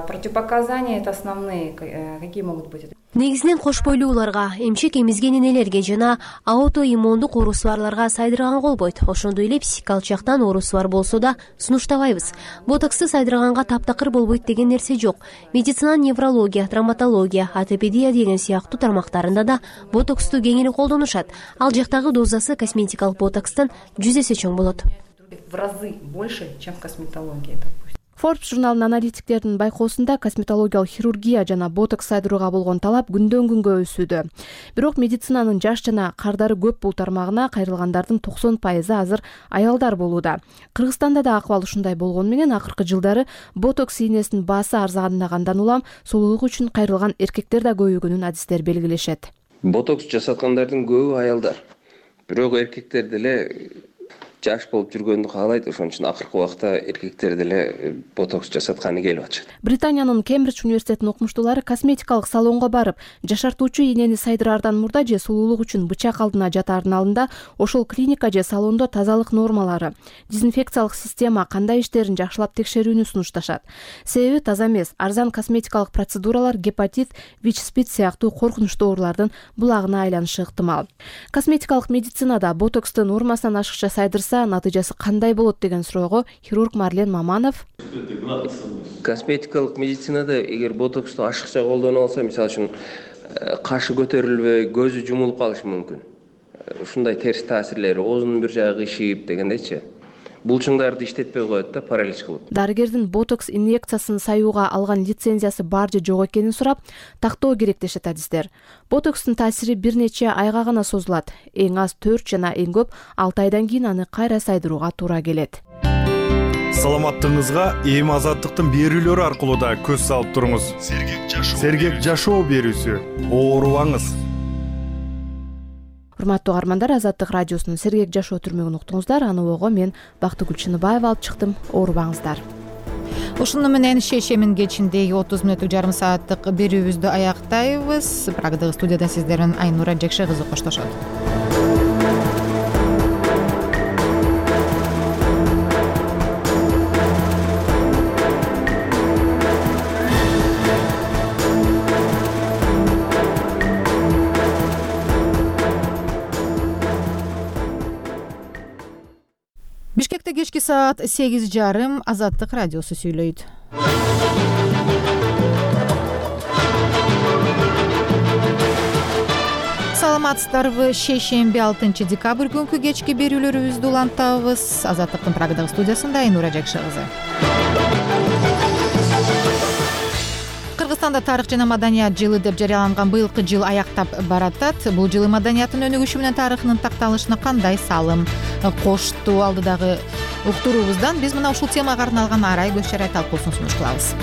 Противопоказания основные какие могут быть? Негизинен кош бойлууларга, эмчек эмизген энелерге жана аутоиммундук оорусу барларга сайдырган болбойт. Ошондой эле психикалык жактан оорусу бар болсо да сунуштабайбыз. Ботоксту сайдырганга таптакыр болбойт деген нерсе жок. Медицинанын неврология, травматология, ортопедия деген сыяктуу тармактарында да ботоксту кеңири колдонушат. Ал жактагы дозасы косметикалык ботокстан жүз эсе чоң болот. В разы больше, чем в косметологии, допустим. Forbes журналынын аналитиктеринин байкоосунда косметологиялык хирургия жана ботокс сайдырууга болгон талап күндөн күнгө өсүүдө. Бирок медицинанын жаш жана кардары көп бул тармагына кайрылгандардын токсон пайызы азыр аялдар болууда. Кыргызстанда да акыбал ушундай болгону менен акыркы жылдары ботокс ийнесинин баасы арзагандагандан улам сулуулук үчүн кайрылган эркектер да көбөйгөнүн адистер белгилешет. Ботокс жасаткандардын көбү аялдар. Бирок эркектер деле жаш болуп жүргөндү каалайт, ошон үчүн акыркы убакта эркектер деле ботокс жасатканы келип атышат. Британиянын Кембридж университетинин окумуштуулары косметикалык салонго барып, жашартуучу ийнени сайдыраардан мурда же сулуулук үчүн бычак алдына жатаардын алдында ошол клиника же салондо тазалык нормалары, дезинфекциялык система кандай иштерин жакшылап текшерүүнү сунушташат. Себеби таза эмес, арзан косметикалык процедуралар гепатит, ВИЧ-СПИД сыяктуу коркунучтуу оорулардын булагына айланышы ыктымал. Косметикалык медицинада ботоксту нормасынан ашыкча сайдырса натыйжасы кандай болот деген суроого хирург Марлен Маманов: Косметикалык медицинада эгер ботоксту ашыкча колдонуп алса, мисалы үчүн кашы көтөрүлбөй, көзү жумулуп калышы мүмкүн. Ушундай терс таасирлери, оозунун бир жагы ишип дегендейчи. Булчуңдарды иштетпей коет да, паралич кылып. Дарыгердин ботокс инъекциясын саюуга алган лицензиясы бар же жок экенин сурап, тактоо керек дешет адистер. Ботокстун таасири бир нече айга гана созулат. Эң аз төрт жана эң көп алты айдан кийин аны кайра сайдырууга туура келет. Саламаттыгыңызга эми азаттыктын берүүлөрү аркылуу да көз салып туруңуз. Сергек жашоо. Сергек жашоо берүүсү. Оорубаңыз. урматтуу угармандар, Азаттык радиосунун сергек жашоо түрмөгүн уктуңуздар. Аны ого мен Бактыгүл Чыныбаева алып чыктым. Оорубаңыздар. Ушуну менен шешемин кечиндеги отуз мүнөттүк жарым сааттык берүүбүздү аяктайбыз. Прагдагы студияда сиздер менен Айнура Жекше кызы коштошот. Бишкекте кечки саат сегиз жарым. Азаттык радиосу сүйлөйт. Саламатсыздарбы? Шейшемби алтынчы декабрь күнкү кечки берүүлөрүбүздү улантабыз. Азаттыктын Прагдагы студиясында Айнура Жекше кызы. Кыргызстанда тарых жана маданият жылы деп жарыяланган быйылкы жыл аяктап баратат. Бул жылы маданияттын өнүгүшү менен тарыхынын такталышына кандай салым кошту? Алдыдагы уктуруубуздан биз мына ушул темага арналган арай көз чарай талкуусун сунуш кылабыз.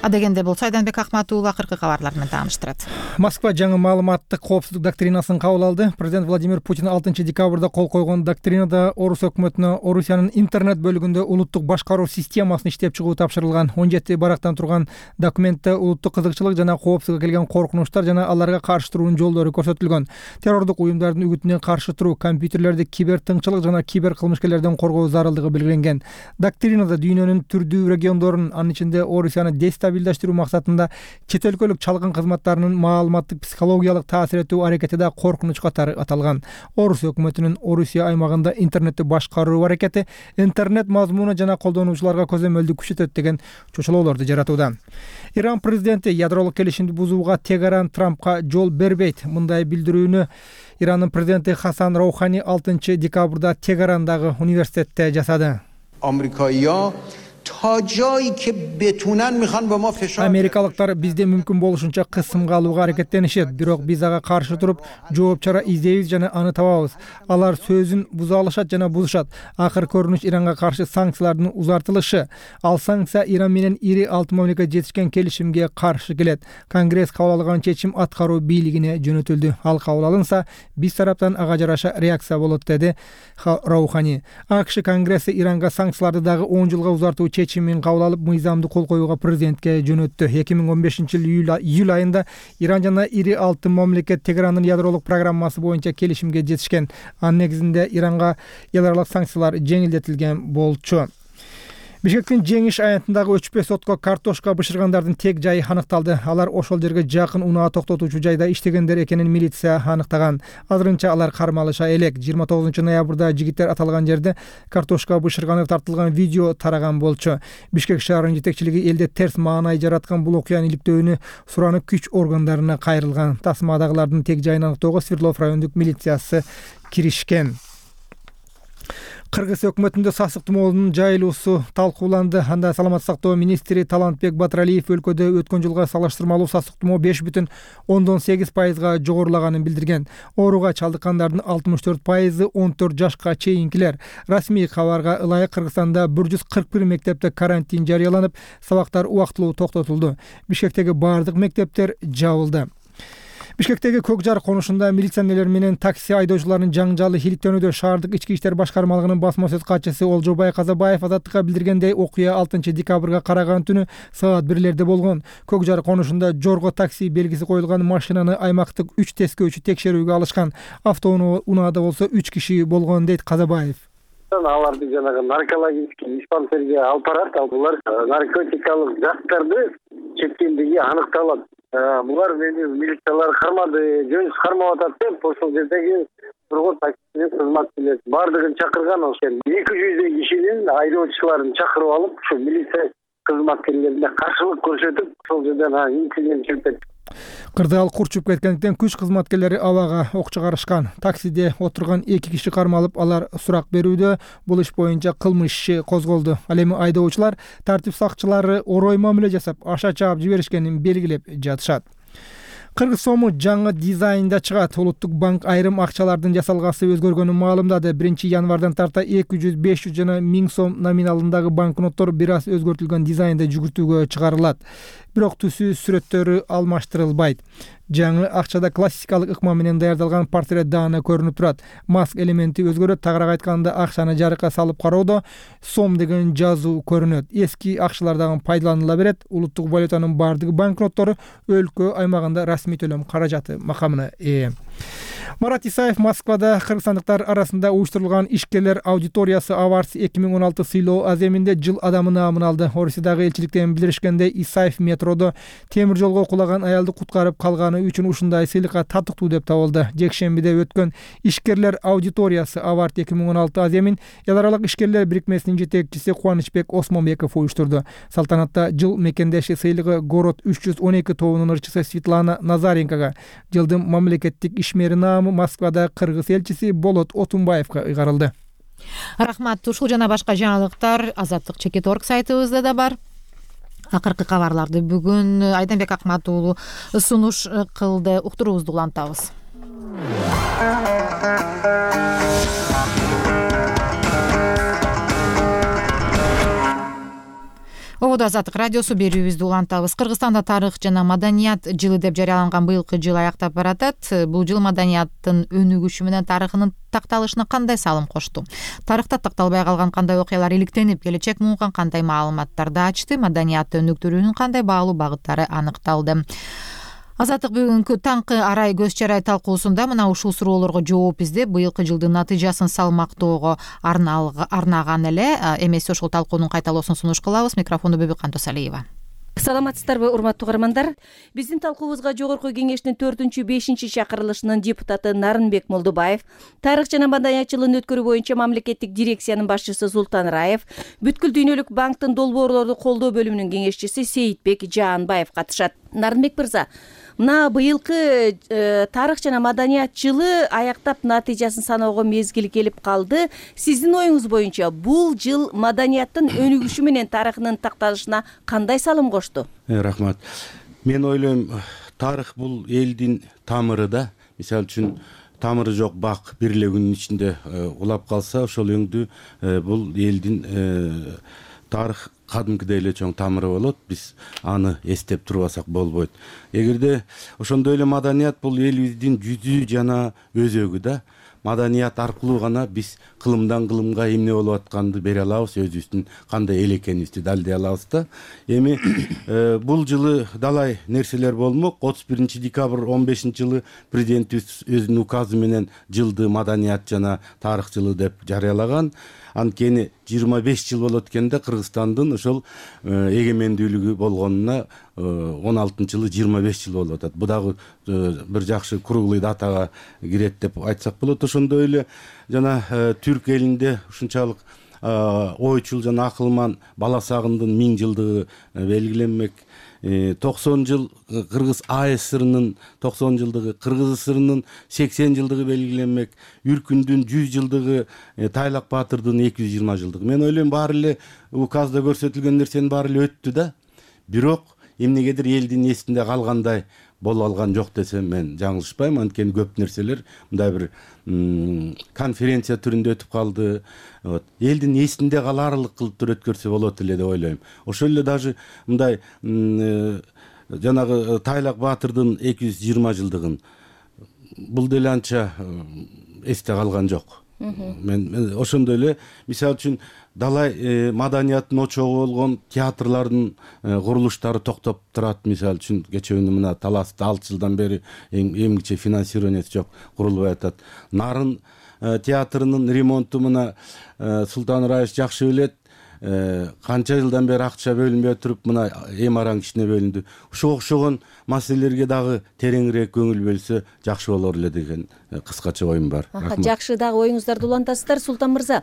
Адегенде болсо Айданбек Акматов акыркы кабарлар менен тааныштырат. Москва жаңы маалыматтык коопсуздук доктринасын кабыл алды. Президент Владимир Путин алтынчы декабрда кол койгон доктринада Орус өкмөтүнө Орусиянын интернет бөлүгүндө улуттук башкаруу системасын иштеп чыгуу тапшырылган. он жети барактан турган документте улуттук кызыкчылык жана коопсузлукка келген коркунучтар жана аларга каршы туруунун жолдору көрсөтүлгөн. Террордук уюмдардын үгүтүнө каршы туруу, компьютерлерди кибер тыңчылык жана кибер кылмышкерлерден коргоо зарылдыгы белгиленген. Доктринада дүйнөнүн түрдүү региондорун, анын ичинде Орусияны дестабилдештирүү максатында чет өлкөлүк чалгын кызматтарынын маалыматтык психологиялык таасир этүү аракети да коркунуч катары аталган. Орус өкмөтүнүн Орусия аймагында интернетти башкаруу аракети интернет мазмуну жана колдонуучуларга көзөмөлдү күчөтөт деген чочулоолорду жаратууда. Иран президенти ядролук келишимди бузууга Тегеран Трампка жол бербейт. Мындай билдирүүнү Ирандын президенти Хасан Роухани алтынчы декабрда Тегерандагы университетте жасады. Америкалыктар бизде мүмкүн болушунча кысымга алууга аракеттенишет, бирок биз ага каршы туруп жооп чара издейбиз жана аны табабыз. Алар сөзүн буза алышат жана бузушат. Акыр көрүнүш Иранга каршы санкциялардын узартылышы. Ал санкция Иран менен ири алты мамлекет жетишкен келишимге каршы келет. Конгресс кабыл алган чечим аткаруу бийлигине жөнөтүлдү. Ал кабыл алынса, биз тараптан ага жараша реакция болот, деди Роухани. АКШ Конгресси Иранга санкцияларды дагы он жылга узартуу чечимин кабыл алып, мыйзамды кол коюуга президентке жөнөттү. эки миң он бешинчи жылы июль айында Иран жана ири алты мамлекет Тегерандын ядролук программасы боюнча келишимге жетишкен. Анын негизинде Иранга ядролук санкциялар жеңилдетилген болчу. Бишкектин Жеңиш аянтындагы өчпө сотко картошка бышыргандардын тег жайы аныкталды. Алар ошол жерге жакын унаа токтотуучу жайда иштегендер экенин милиция аныктаган. Азырынча алар кармалыша элек. жыйырма тогузунчу ноябрда жигиттер аталган жерде картошка бышырганы тартылган видео тараган болчу. Бишкек шаарынын жетекчилиги элде терс маанай жараткан бул окуяны иликтөөнү суранып күч органдарына кайрылган. Тасмадагылардын тег жайын аныктоого Свердлов райондук милициясы киришкен. Кыргыз өкмөтүндө сасык тумоонун жайылуусу талкууланды. Анда саламаттык сактоо министри Талантбек Батыралиев өлкөдө өткөн жылга салыштырмалуу сасык тумоо беш бүтүн ондон сегиз пайызга жогорулаганын билдирген. Ооруга чалдыккандардын алтымыш төрт пайызы он төрт жашка чейинкилер. Расмий кабарга ылайык Кыргызстанда бир жүз кырк бир мектепте карантин жарыяланып, сабактар убактылуу токтотулду. Бишкектеги бардык мектептер жабылды. Бишкектеги Көк Жар конушунда милиционерлер менен такси айдоочуларынын жаңжалы иликтөөнүдө шаардык ички иштер башкармалыгынын басма сөз катчысы Олжобай Казабаев Азаттыкка билдиргендей, окуя алтынчы декабрга караган түнү саат бирлерде болгон. Көк Жар конушунда жорго такси белгиси коюлган машинаны аймактык үч тескөөчү текшерүүгө алышкан. Автоунаада болсо үч киши болгон, дейт Казабаев. Аларды жанагы наркологический диспансерге алып барат. Алар наркотикалык заттарды чеккендиги аныкталат. Булар мени милициялар кармады, жөнсүз кармап атат деп, ошол жердеги тургун таксинин кызматкерлери бардыгын чакырган. Ошол эки жүздөй кишинин айдоочуларын чакырып алып, ушу милиция кызматкерлерине каршылык көрсөтүп, ошол жерден инцидент чыгып кетти. Кырдаал курчуп кеткендиктен күч кызматкерлери абага ок чыгарышкан. Таксиде отурган эки киши кармалып, алар сурак берүүдө. Бул иш боюнча кылмыш иши козголду. Ал эми айдоочулар тартип сакчылары орой мамиле жасап, аша чаап жиберишкенин белгилеп жатышат. Кыргыз сому жаңы дизайнда чыгат. Улуттук банк айрым акчалардын жасалгасы өзгөргөнүн маалымдады. биринчи январдан тарта эки жүз, беш жүз жана миң сом номиналындагы банкноттор бир аз өзгөртүлгөн дизайнда жүгүртүүгө чыгарылат. Бирок түсү, сүрөттөрү алмаштырылбайт. жаңы акчада классикалык ыкма менен даярдалган портрет даана көрүнүп турат. Маск элементи өзгөрөт. Тагыраак айтканда акчаны жарыкка салып кароодо сом деген жазуу көрүнөт. Эски акчалар дагы пайдаланыла берет. Улуттук валютанын бардык банкноттору өлкө аймагында расмий төлөм каражаты макамына ээ. Марат Исаев Москвада кыргызстандыктар арасында уюштурулган ишкерлер аудиториясы Аварс эки миң он алты сыйлоо аземинде жыл адамы наамын алды. Орусиядагы элчиликтен билдиришкендей, Исаев метродо темир жолго кулаган аялды куткарып калганы үчүн ушундай сыйлыкка татыктуу деп табылды. Жекшембиде өткөн ишкерлер аудиториясы Аварс эки миң он алты аземин эл аралык ишкерлер бирикмесинин жетекчиси Кубанычбек Осмонбеков уюштурду. Салтанатта жыл мекендеши сыйлыгы Город үч жүз он эки тобунун ырчысы Светлана Назаренкага, жылдын мамлекеттик ишмери наамы Москвада кыргыз элчиси Болот Отунбаевга ыйгарылды. Рахмат. Ушул жана башка жаңылыктар Азаттык чекит точка орг сайтыбызда да бар. Акыркы кабарларды бүгүн Айданбек Акмат уулу сунуш кылды. Уктуруубузду улантабыз. Ободо Азаттык радиосу берүүбүздү улантабыз. Кыргызстанда тарых жана маданият жылы деп жарыяланган быйылкы жыл аяктап баратат. Бул жыл маданияттын өнүгүшү менен тарыхынын такталышына кандай салым кошту? Тарыхта такталбай калган кандай окуялар иликтенип, келечек муңган кандай маалыматтарды ачты? Маданиятты өнүктүрүүнүн кандай баалуу багыттары аныкталды? Азаттык бүгүнкү таңкы арай көз чарай талкуусунда мына ушул суроолорго жооп издеп, быйылкы жылдын натыйжасын салмактоого арнаган эле. Эмесе ошол талкуунун кайталоосун сунуш кылабыз. Микрофонду Бөбүкан Тосалиева. Саламатсыздарбы, урматтуу угармандар? Биздин талкуубузга Жогорку Кеңештин төртүнчү бешинчи чакырылышынын депутаты Нарынбек Молдубаев, тарых жана маданият жылын өткөрүү боюнча мамлекеттик дирекциянын башчысы Султан Раев, Бүткүл дүйнөлүк банктын долбоорлорду колдоо бөлүмүнүн кеңешчиси Сейитбек Жаанбаев катышат. Нарынбек мырза, мына быйылкы э, тарых жана маданият жылы аяктап натыйжасын саноого мезгил келип калды. Сиздин оюңуз боюнча бул жыл маданияттын өнүгүшү менен тарыхынын такталышына кандай салым кошту? Э, рахмат. Мен ойлойм, тарых бул элдин тамыры да. Мисалы үчүн тамыры жок бак бир эле күнүн ичинде э, улап калса, ошол өңдү э, бул элдин э, тарых кадимкидей эле чоң тамыры болот. Биз аны эстеп турбасак болбойт. Эгерде ошондой эле маданият бул элибиздин жүзү жана өзөгү да. Маданият аркылуу гана биз кылымдан кылымга эмне болуп атканды бере алабыз, өзүбүздүн кандай эл экенибизди далилдей алабыз да. Эми бул жылы далай нерселер болмок. отуз биринчи декабрь он бешинчи жылы президентибиз өзүнүн указы менен жылды маданият жана тарых жылы деп жарыялаган. Анткени жыйырма беш жыл болот экенде Кыргызстандын ошол эгемендүүлүгү болгонуна он алтынчы жылы жыйырма беш жыл болуп атат. Бу дагы бир жакшы круглый датага кирет деп айтсак болот. Ошондой эле жана түрк элинде ушунчалык ойчул жана акылман бала сагындын миң жылдыгы белгиленмек. токсон жыл Кыргыз АСРнын токсон жылдыгы, Кыргыз ССРнын сексен жылдыгы белгиленмек, Үркүндүн жүз жылдыгы, Тайлак Баатырдын эки жүз жыйырма жылдыгы. Мен ойлойм, баары эле указда көрсөтүлгөн нерсенин баары эле өттү да. Бирок эмнегедир элдин эсинде калгандай боло алган жок десем мен жаңылышпайм. Анткени көп нерселер мындай бир конференция түрүндө өтүп калды. Вот. Элдин эсинде калаарлык кылып туруп өткөрсө болот эле деп ойлойм. Ошол эле даже мындай жанагы Тайлак Баатырдын эки жүз жыйырма жылдыгын бул деле анча эсте калган жок. Мен ошондой эле мисалы үчүн далай маданияттын очогу болгон театрлардын курулуштары токтоп турат. Мисалы үчүн кечээ күнү мына Таласта алты жылдан бери эмгиче финансированиясы жок, курулбай атат. Нарын театрынын ремонту мына Султан Раис жакшы билет. Канча жылдан бери акча бөлүнбөй туруп мына эм араң ишине бөлүндү. Ушуга окшогон маселелерге дагы тереңирээк көңүл бөлсө жакшы болор эле деген кыскача оюм бар. Жакшы, дагы оюңуздарды улантасыздар. Султан мырза,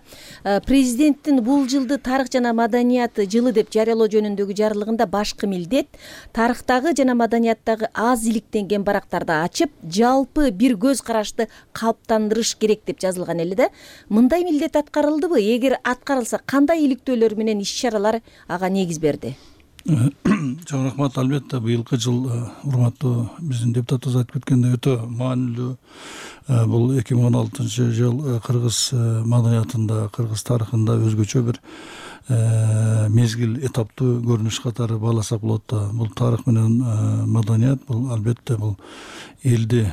президенттин бул жылды тарых жана маданият жылы деп жарыялоо жөнүндөгү жарлыгында башкы милдет тарыхтагы жана маданияттагы аз иликтенген барактарды ачып, жалпы бир көз карашты калыптандырыш керек деп жазылган эле да. Мындай милдет аткарылдыбы? Эгер аткарылса, кандай иликтөөлөр менен иш-чаралар ага негиз берди? Чоң рахмат. Албетте быйылкы жыл, урматтуу биздин депутатыбыз айтып кеткендей, өтө маанилүү. Бул эки миң он алтынчы жыл кыргыз маданиятында, кыргыз тарыхында өзгөчө бир мезгил этаптуу көрүнүш катары бааласак болот да. Бул тарых менен маданият, бул албетте бул элди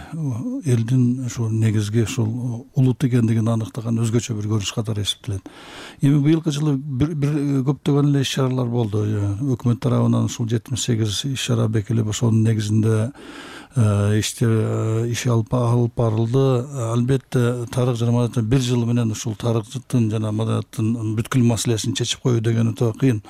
элдин ушул негизги ушул улут экендигин аныктаган өзгөчө бир көрүнүш катары эсептелет. Эми быйылкы жылы бир көптөгөн эле иш чаралар болду. Өкмөт тарабынан ушул жетимиш сегиз иш чара бекилип, ошонун негизинде иштер иш алып барылды. Албетте тарых жана маданияттын бир жыл менен ушул тарыхтын жана маданияттын бүткүл маселесин чечип коюу деген өтө кыйын,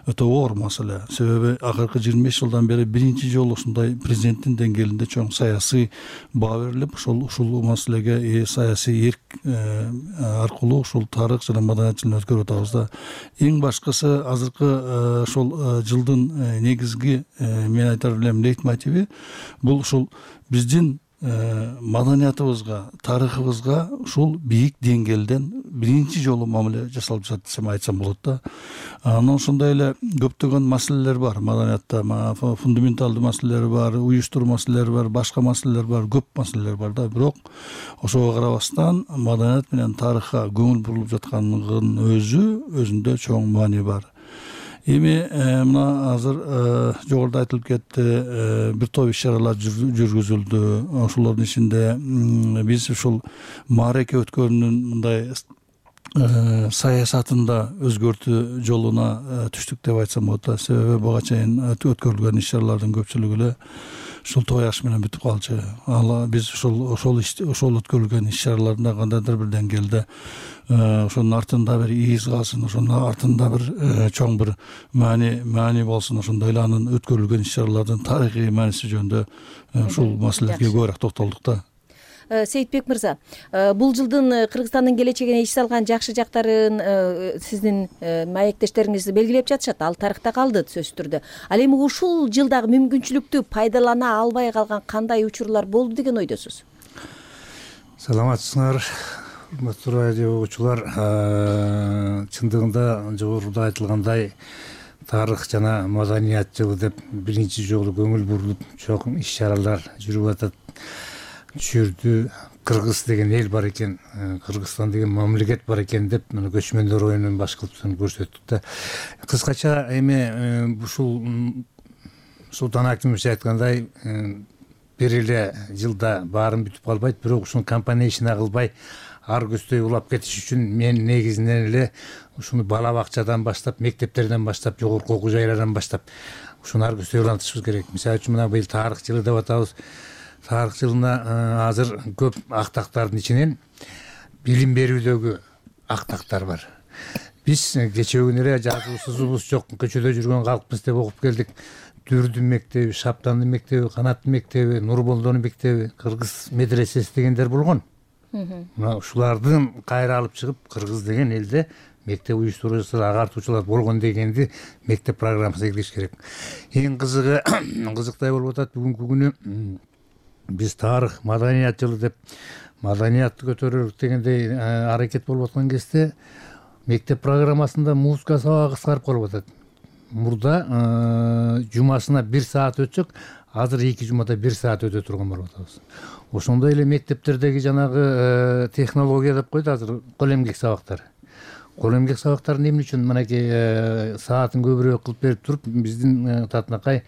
өтө оор маселе. Себеби акыркы жыйырма беш жылдан бери биринчи жолу ушундай президенттин деңгээлинде чоң саясий баа берилип, ошол ушул маселеге саясий эрк аркылуу ушул тарых жана маданият жылын өткөрүп атабыз да. Эң башкысы азыркы ошол жылдын негизги мен айтар элем лейтмотиви бул ушул биздин маданиятыбызга, тарыхыбызга ушул бийик деңгээлден биринчи жолу мамиле жасалып жатат десем айтсам болот да. Анан ошондой эле көптөгөн маселелер бар маданиятта, фундаменталдуу маселелер бар, уюштуруу маселелери бар, башка маселелер бар, көп маселелер бар да. Бирок ошого карабастан маданият менен тарыхка көңүл бурулуп жаткандыгынын өзү өзүндө чоң маани бар. Эми мына азыр жогоруда айтылып кетти, бир топ иш чаралар жүргүзүлдү. Ошолордун ичинде биз ушул маареке өткөрүүнүн мындай саясатында өзгөртүү жолуна түштүк деп айтсам болот да. Себеби буга чейин өткөрүлгөн иш чаралардын көпчүлүгү эле ушул той аш менен бүтүп калчу. Ал биз ошол ошол ошол өткөрүлгөн иш чараларында кандайдыр бир деңгээлде ошонун артында бир ийиз калсын, ошонун артында бир чоң бир маани маани болсун. Ошондой эле анын өткөрүлгөн иш чаралардын тарыхый мааниси жөнүндө ушул маселелерге көбүрөөк токтолдук да. Сейитбек мырза, бул жылдын Кыргызстандын келечегине иш салган жакшы жактарын сиздин маектештериңиз белгилеп жатышат. Ал тарыхта калды сөзсүз түрдө. Ал эми ушул жылдагы мүмкүнчүлүктү пайдалана албай калган кандай учурлар болду деген ойдосуз? Саламатсыңар, урматтуу радио угуучулар. Чындыгында жогоруда айтылгандай тарых жана маданият жылы деп биринчи жолу көңүл бурулуп чоң иш чаралар жүрүп атат. Түшүрдү. Кыргыз деген эл бар экен, Кыргызстан деген мамлекет бар экен деп мына көчмөндөр оюнун башкылыптын көрсөттүк да. Кыскача эми ушул Султан Акимович айткандай бир эле жылда баарын бүтүп калбайт, бирок ушуну компания ишине кылбай ар көздөй улап кетиш үчүн мен негизинен эле ушуну бала бакчадан баштап, мектептерден баштап, жогорку окуу жайлардан баштап ушуну ар көздөй улантышыбыз керек. Мисалы үчүн мына быйыл тарых жылы деп атабыз. Тарых жылына азыр көп актактардын ичинен билим берүүдөгү актактар бар. Биз кечээ күнү эле жазуусузубуз жок, көчөдө жүргөн калкпыз деп окуп келдик. Дүрдүн мектеби, Шаптандын мектеби, Канаттын мектеби, Нурболдонун мектеби, Кыргыз медресеси дегендер болгон. Мына ушулардын кайра алып чыгып, Кыргыз деген элде мектеп уюштуруучулар, агартуучулар болгон дегенди мектеп программасына киргизиш керек. Эң кызыгы, кызыктай болуп атат бүгүнкү күнү биз тарых, маданият жылы деп маданиятты көтөрөлүк дегендей аракет болуп аткан кезде мектеп программасында музыка сабагы кыскарып калып атат. Мурда жумасына бир саат өтсөк, азыр эки жумада бир саат өтө турган болуп атабыз. Ошондой эле мектептердеги жанагы технология деп койду азыр кол эмгек сабактары. Кол эмгек сабактарын эмне үчүн мынакей саатын көбүрөөк кылып берип туруп, биздин татынакай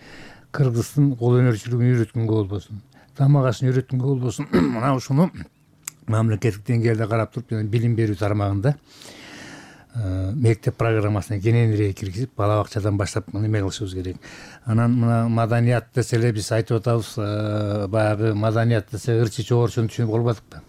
Кыргыздын кол өнөрчүлүгүн үйрөткөнгө болбосун, тамак ашын үйрөткөнгө болбосун. Мына ушуну мамлекеттик деңгээлде карап туруп, билим берүү тармагында мектеп программасына кененирээк киргизип, бала бакчадан баштап неме кылышыбыз керек. Анан мына маданият десе эле биз айтып атабыз, баягы маданият десе ырчы чогорчону түшүнүп калбадык да.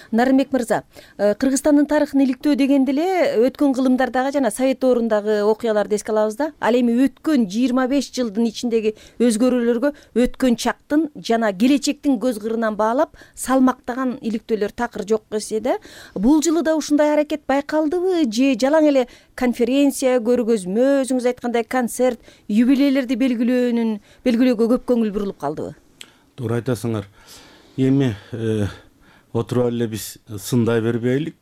Нарынбек мырза, Кыргызстандын тарыхын иликтөө дегенде эле өткөн кылымдардагы жана Совет доорундагы окуяларды эске алабыз да. Ал эми өткөн жыйырма беш жылдын ичиндеги өзгөрүүлөргө өткөн чактын жана келечектин көз кырынан баалап салмактаган иликтөөлөр такыр жок эсе да. Бул жылы да ушундай аракет байкалдыбы же жалаң эле конференция, көргөзмө, өзүңүз айткандай концерт, юбилейлерди белгилөөнүн белгилөөгө көп көңүл бурулуп калдыбы? Туура айтасыңар. Эми отуруп эле биз сындай бербейлик,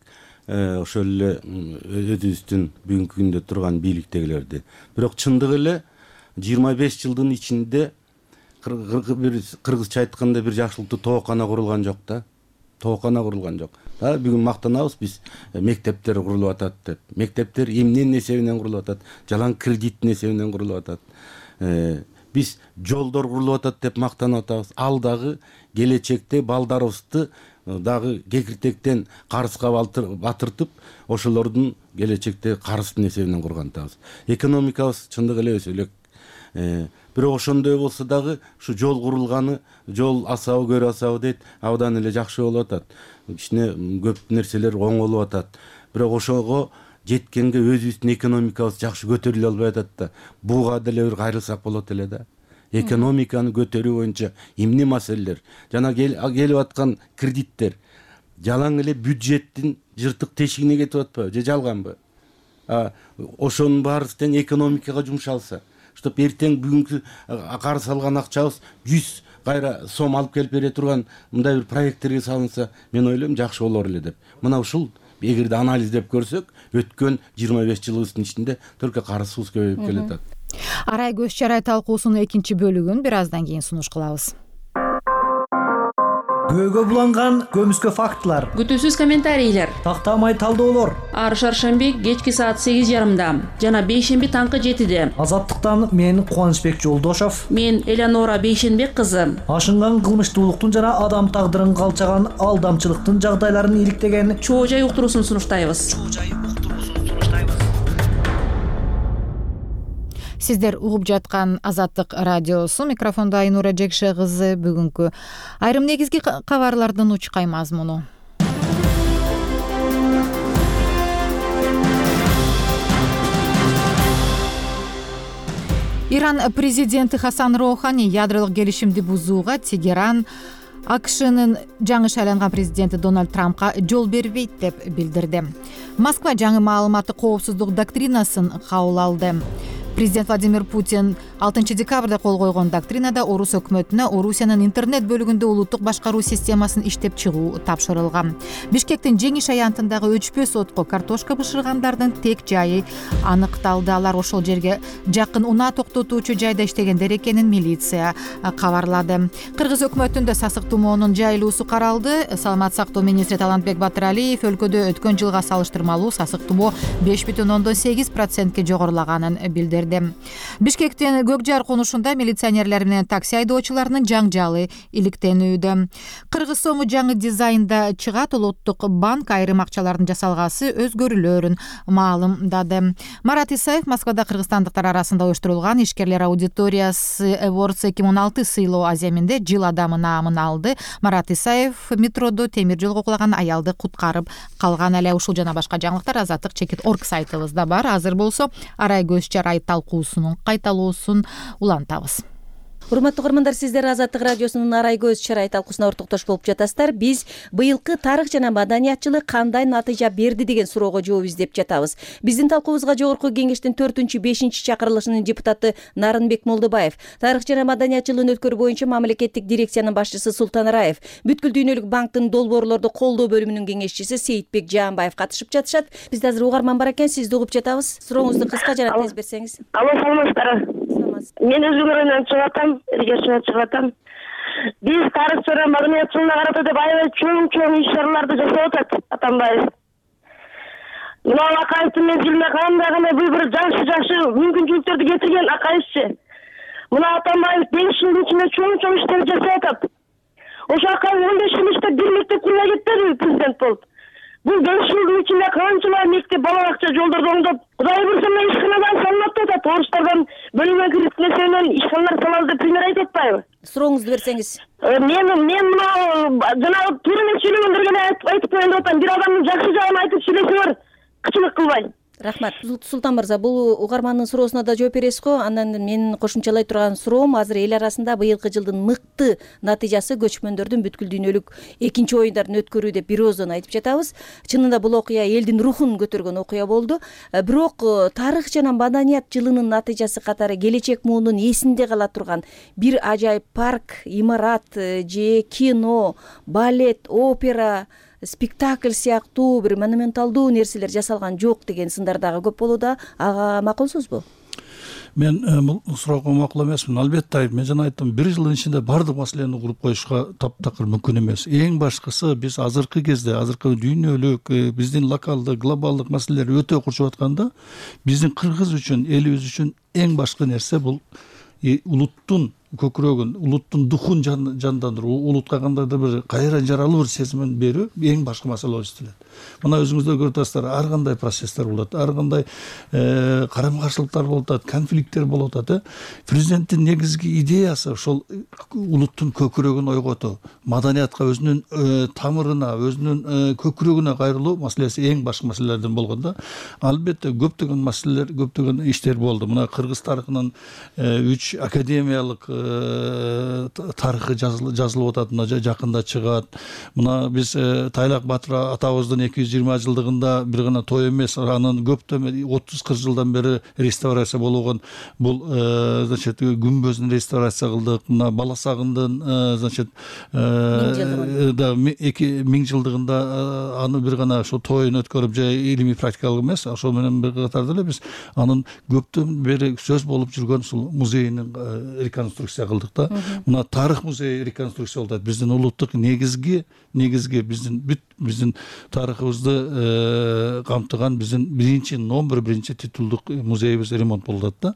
ошол эле өзүбүздүн бүгүнкү күндө турган бийликтегилерди. Бирок чындыгы эле жыйырма беш жылдын ичинде кыргызча айтканда бир жакшылыктуу тоокана курулган жок да. Тоокана курулган жок. да бүгүн мактанабыз биз мектептер курулуп атат деп. Мектептер эмненин эсебинен курулуп атат? Жалаң кредиттин эсебинен курулуп атат. Биз жолдор курулуп атат деп мактанып атабыз. Ал дагы келечекте балдарыбызды дагы кекиртектен карызга батыртып, ошолордун келечекте карыздын эсебинен курган атабыз. Экономикабыз чындык эле өсө элек. Бирок ошондой болсо дагы ушу жол курулганы, жол асабы көрө асабы дейт, абдан эле жакшы болуп атат. Кичине көп нерселер оңолуп атат. Бирок ошого жеткенге өзүбүздүн экономикабыз жакшы көтөрүлө албай атат да. Буга деле бир кайрылсак болот эле да. Экономиканы көтөрүү боюнча эмне маселелер? Жана келип аткан кредиттер жалаң эле бюджеттин жыртык тешигине кетип атпайбы же жалганбы? Ошонун баары тең экономикага жумшалса, чтоб эртең бүгүнкү карыз алган акчабыз жүз кайра сом алып келип бере турган мындай бир проекттерге салынса, мен ойлойм жакшы болор эле деп. Мына ушул эгерде анализдеп көрсөк, өткөн жыйырма беш жылыбыздын ичинде только карызыбыз көбөйүп келатат. Арай көз чарай талкуусунун экинчи бөлүгүн бир аздан кийин сунуш кылабыз. Көөгө буланган көмүскө фактылар, күтүүсүз комментарийлер, тактамай талдоолор. Ар шаршемби кечки саат сегиз жарымда жана бейшемби таңкы жетиде. Азаттыктан мен Кубанычбек Жолдошов, мен Элеонора Бейшенбек кызы. Ашынган кылмыштуулуктун жана адам тагдырын калчаган алдамчылыктын жагдайларын иликтеген чоо жай уктуруусун сунуштайбыз. Сиздер угуп жаткан Азаттык радиосу, микрофондо Айнура Жекше кызы. Бүгүнкү айрым негизги кабарлардын учкай мазмуну. Иран президенти Хасан Роухани ядролук келишимди бузууга Тегеран АКШнын жаңы шайланган президенти Дональд Трампка жол бербейт деп билдирди. Москва жаңы маалыматтык коопсуздук доктринасын кабыл алды. Президент Владимир Путин алтынчы декабрда кол койгон доктринада Орус өкмөтүнө Орусиянын интернет бөлүгүндө улуттук башкаруу системасын иштеп чыгуу тапшырылган. Бишкектин Жеңиш аянтындагы өчпөс отко картошка бышыргандардын тек жайы аныкталды. Алар ошол жерге жакын унаа токтотуучу жайда иштегендер экенин милиция кабарлады. Кыргыз өкмөтүндө сасык тумоонун жайылуусу каралды. Саламат сактоо министри Талантбек Батыралиев өлкөдө өткөн жылга салыштырмалуу сасык тумоо беш бүтүн ондон сегиз процентке жогорулаганын билдирди. Бишкектин Көкжар конушунда милиционерлер менен такси айдоочуларынын жаңжалы иликтенүүдө. Кыргыз сому жаңы дизайнда чыгат. Улуттук банк айрым акчалардын жасалгасы өзгөрүүлөрүн маалымдады. Марат Исаев Москвада кыргызстандыктар арасында уюштурулган ишкерлер аудиториясы Awards эки миң он алты сыйлоо аземинде жыл адамы наамын алды. Марат Исаев метродо темир жолго кулаган аялды куткарып калган. Эле ушул жана башка жаңылыктар азаттык чекит орг сайтыбызда бар. Азыр болсо Арай көз чарай талкуусунун кайталоосун улантабыз. Урматтуу көрөрмандар, сиздер Азаттык радиосунун Арай көз чарай талкуусуна ортоктош болуп жатасыздар. Биз быйылкы тарых жана маданият жылы кандай натыйжа берди деген суроого жооп издеп жатабыз. Биздин талкуубузга жогорку кеңештин төртүнчү бешинчи чакырылышынын депутаты Нарынбек Молдобаев, тарых жана маданият жылын өткөрүү боюнча мамлекеттик дирекциянын башчысы Султан Раев, Бүткүл дүйнөлүк банктын долбоорлорду колдоо бөлүмүнүн кеңешчиси Сейитбек Жаанбаев катышып жатышат. Бизде азыр угарман бар экен, сизди угуп жатабыз. Сурооңузду кыска жана тез берсеңиз. Алло, саламатсыздарбы? Мен өзүм районунан чыгып атам, Эргешинен чыгып атам. Биз тарых жана маданият жылына карата деп аябай чоң-чоң иш-чараларды жасап атат Атамбаев. Мына Акаевдин мезгилинде кандай гана бир жакшы-жакшы мүмкүнчүлүктөрдү кетирген Акаевчи. Мына Атамбаев беш жылдын ичинде чоң-чоң иштерди жасап атат. Ошо Акаев он беш жыл иштеп бир мектеп курула кетпедиби президент болуп? Бул беш жылдын ичинде канчалай мектеп, бала бакча, жолдорду оңдоп, Кудай буйруса ишканадан салынып атат. Орустардан бөлүнгөн кредиттин эсебинен ишканалар салабыз деп пример айтып атпайбы? Сурооңузду берсеңиз. Мен мен мына жанагы туура сүйлөгөндөргө айтып коеюн деп атам. Бир адамдын жакшы жагын айтып сүйлөсөңөр, кычылык кылбай. Рахмат. Султан мырза, бул угармандын суроосуна да жооп бересиз го. Андан менин кошумчалай турган суроом, азыр эл арасында быйылкы жылдын мыкты натыйжасы көчмөндөрдүн бүткүл дүйнөлүк экинчи оюндарын өткөрүү деп бир ооздон айтып жатабыз. Чынында бул окуя элдин рухун көтөргөн окуя болду. Бирок тарых жана маданият жылынын натыйжасы катары келечек муунун эсинде кала турган бир ажайып парк, имарат же кино, балет, опера, спектакль сыяктуу бир монументалдуу нерселер жасалган жок деген сындар дагы көп болууда. Ага макулсузбу? мен бул суроого макул эмесмин. Албетте мен жана айттым, бир жылдын ичинде баардык маселени куруп коюшка таптакыр мүмкүн эмес. Эң башкысы биз азыркы кезде, азыркы дүйнөлүк, биздин локалдык, глобалдык маселелер өтө курчуп атканда, биздин Кыргыз үчүн, элибиз үчүн эң башкы нерсе бул улуттун көкүрөгүн, улуттун духун жандандыруу, улутка кандайдыр бир кайра жаралуу бир сезимин берүү эң башкы маселе болуп эсептелет. Мына өзүңүздөр көрүп атасыздар, ар кандай процесстер болот, ар кандай карама каршылыктар болуп атат, конфликттер болуп атат. Президенттин негизги идеясы ошол улуттун көкүрөгүн ойготуу, маданиятка, өзүнүн тамырына, өзүнүн көкүрөгүнө кайрылуу маселеси эң башкы маселелерден болгондо, албетте көптөгөн маселелер, көптөгөн иштер болду. Мына Кыргыз тарыхынын үч академиялык тарыхы жазылып атат, мына жакында чыгат. Мына биз Тайлак Батыр атабыздын эки жүз жыйырма жылдыгында бир гана той эмес, анын көптөн отуз кырк жылдан бери реставрация болгон бул значит күмбөзүн реставрация кылдык. Мына Баласагындын значит да эки миң жылдыгында аны бир гана ошо тоюн өткөрүп, же илимий практикалык эмес, ошол менен бир катарда эле биз анын көптөн бери сөз болуп жүргөн ушул музейинин реконструкция кылдык да. Мына тарых музей реконструкция болуп атат. Биздин улуттук негизги негизги биздин бүт биздин тарыхыбызды камтыган биздин биринчи номер биринчи титулдук музейибиз ремонт болуп атат да.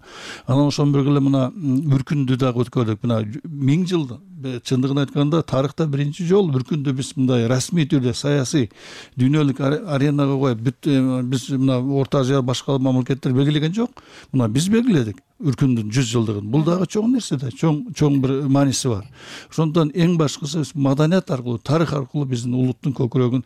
Анан ошол менен бирге эле мына Бүркүндү дагы өткөрдүк. Мына миң жыл чындыгын айтканда тарыхта биринчи жолу Бүркүндү биз мындай расмий түрдө саясий дүйнөлүк аренага коюп, биз мына Орто Азия башка мамлекеттер белгилеген жок. Мына биз белгиледик Үркүндүн жүз жылдыгын. Бул дагы чоң нерсе да, чоң чоң бир мааниси бар. Ошондон эң башкысы маданият аркылуу, тарых аркылуу биздин улуттун көкүрөгүн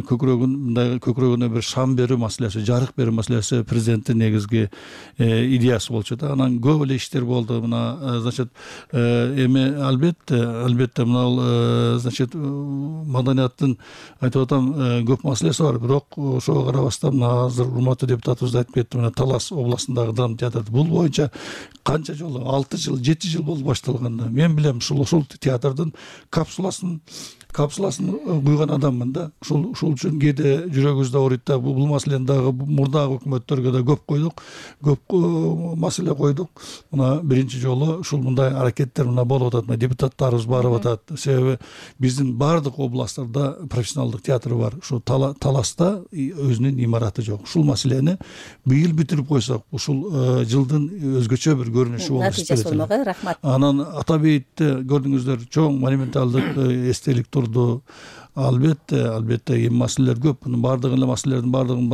көкүрөгүн мындай көкүрөгүнө бир шам берүү маселеси, жарык берүү маселеси президенттин негизги идеясы болчу да. Анан көп эле иштер болду. Мына значит эми албетте албетте мына значит маданияттын айтып атам көп маселеси бар, бирок ошого карабастан мына азыр урматтуу депутатыбыз айтып кетти, мына Талас областындагы драма театры бул боюнча канча жолу алты жыл жети жыл болуп башталганда мен билем, ушул ушул театрдын капсуласын капсуласын куйган адаммын да. Ушул ушул үчүн кээде жүрөгүбүз да ооруйт да. Бул маселени дагы мурдагы өкмөттөргө да көп койдук, көп маселе койдук. Мына биринчи жолу ушул мындай аракеттер мына болуп атат. Мына депутаттарыбыз барып атат. Себеби биздин бардык областтарда профессионалдык театр бар. Ушул Таласта өзүнүн имараты жок. Ушул маселени быйыл бүтүрүп койсок, ушул жылдын өзгөчө бир көрүнүшү болуп натыйжасы болмок. Рахмат. Анан Атабейитте көрдүңүздөр, чоң монументалдык эстелик турду. Албетте, албетте эми маселелер көп. Мунун бардыгын эле маселелердин бардыгын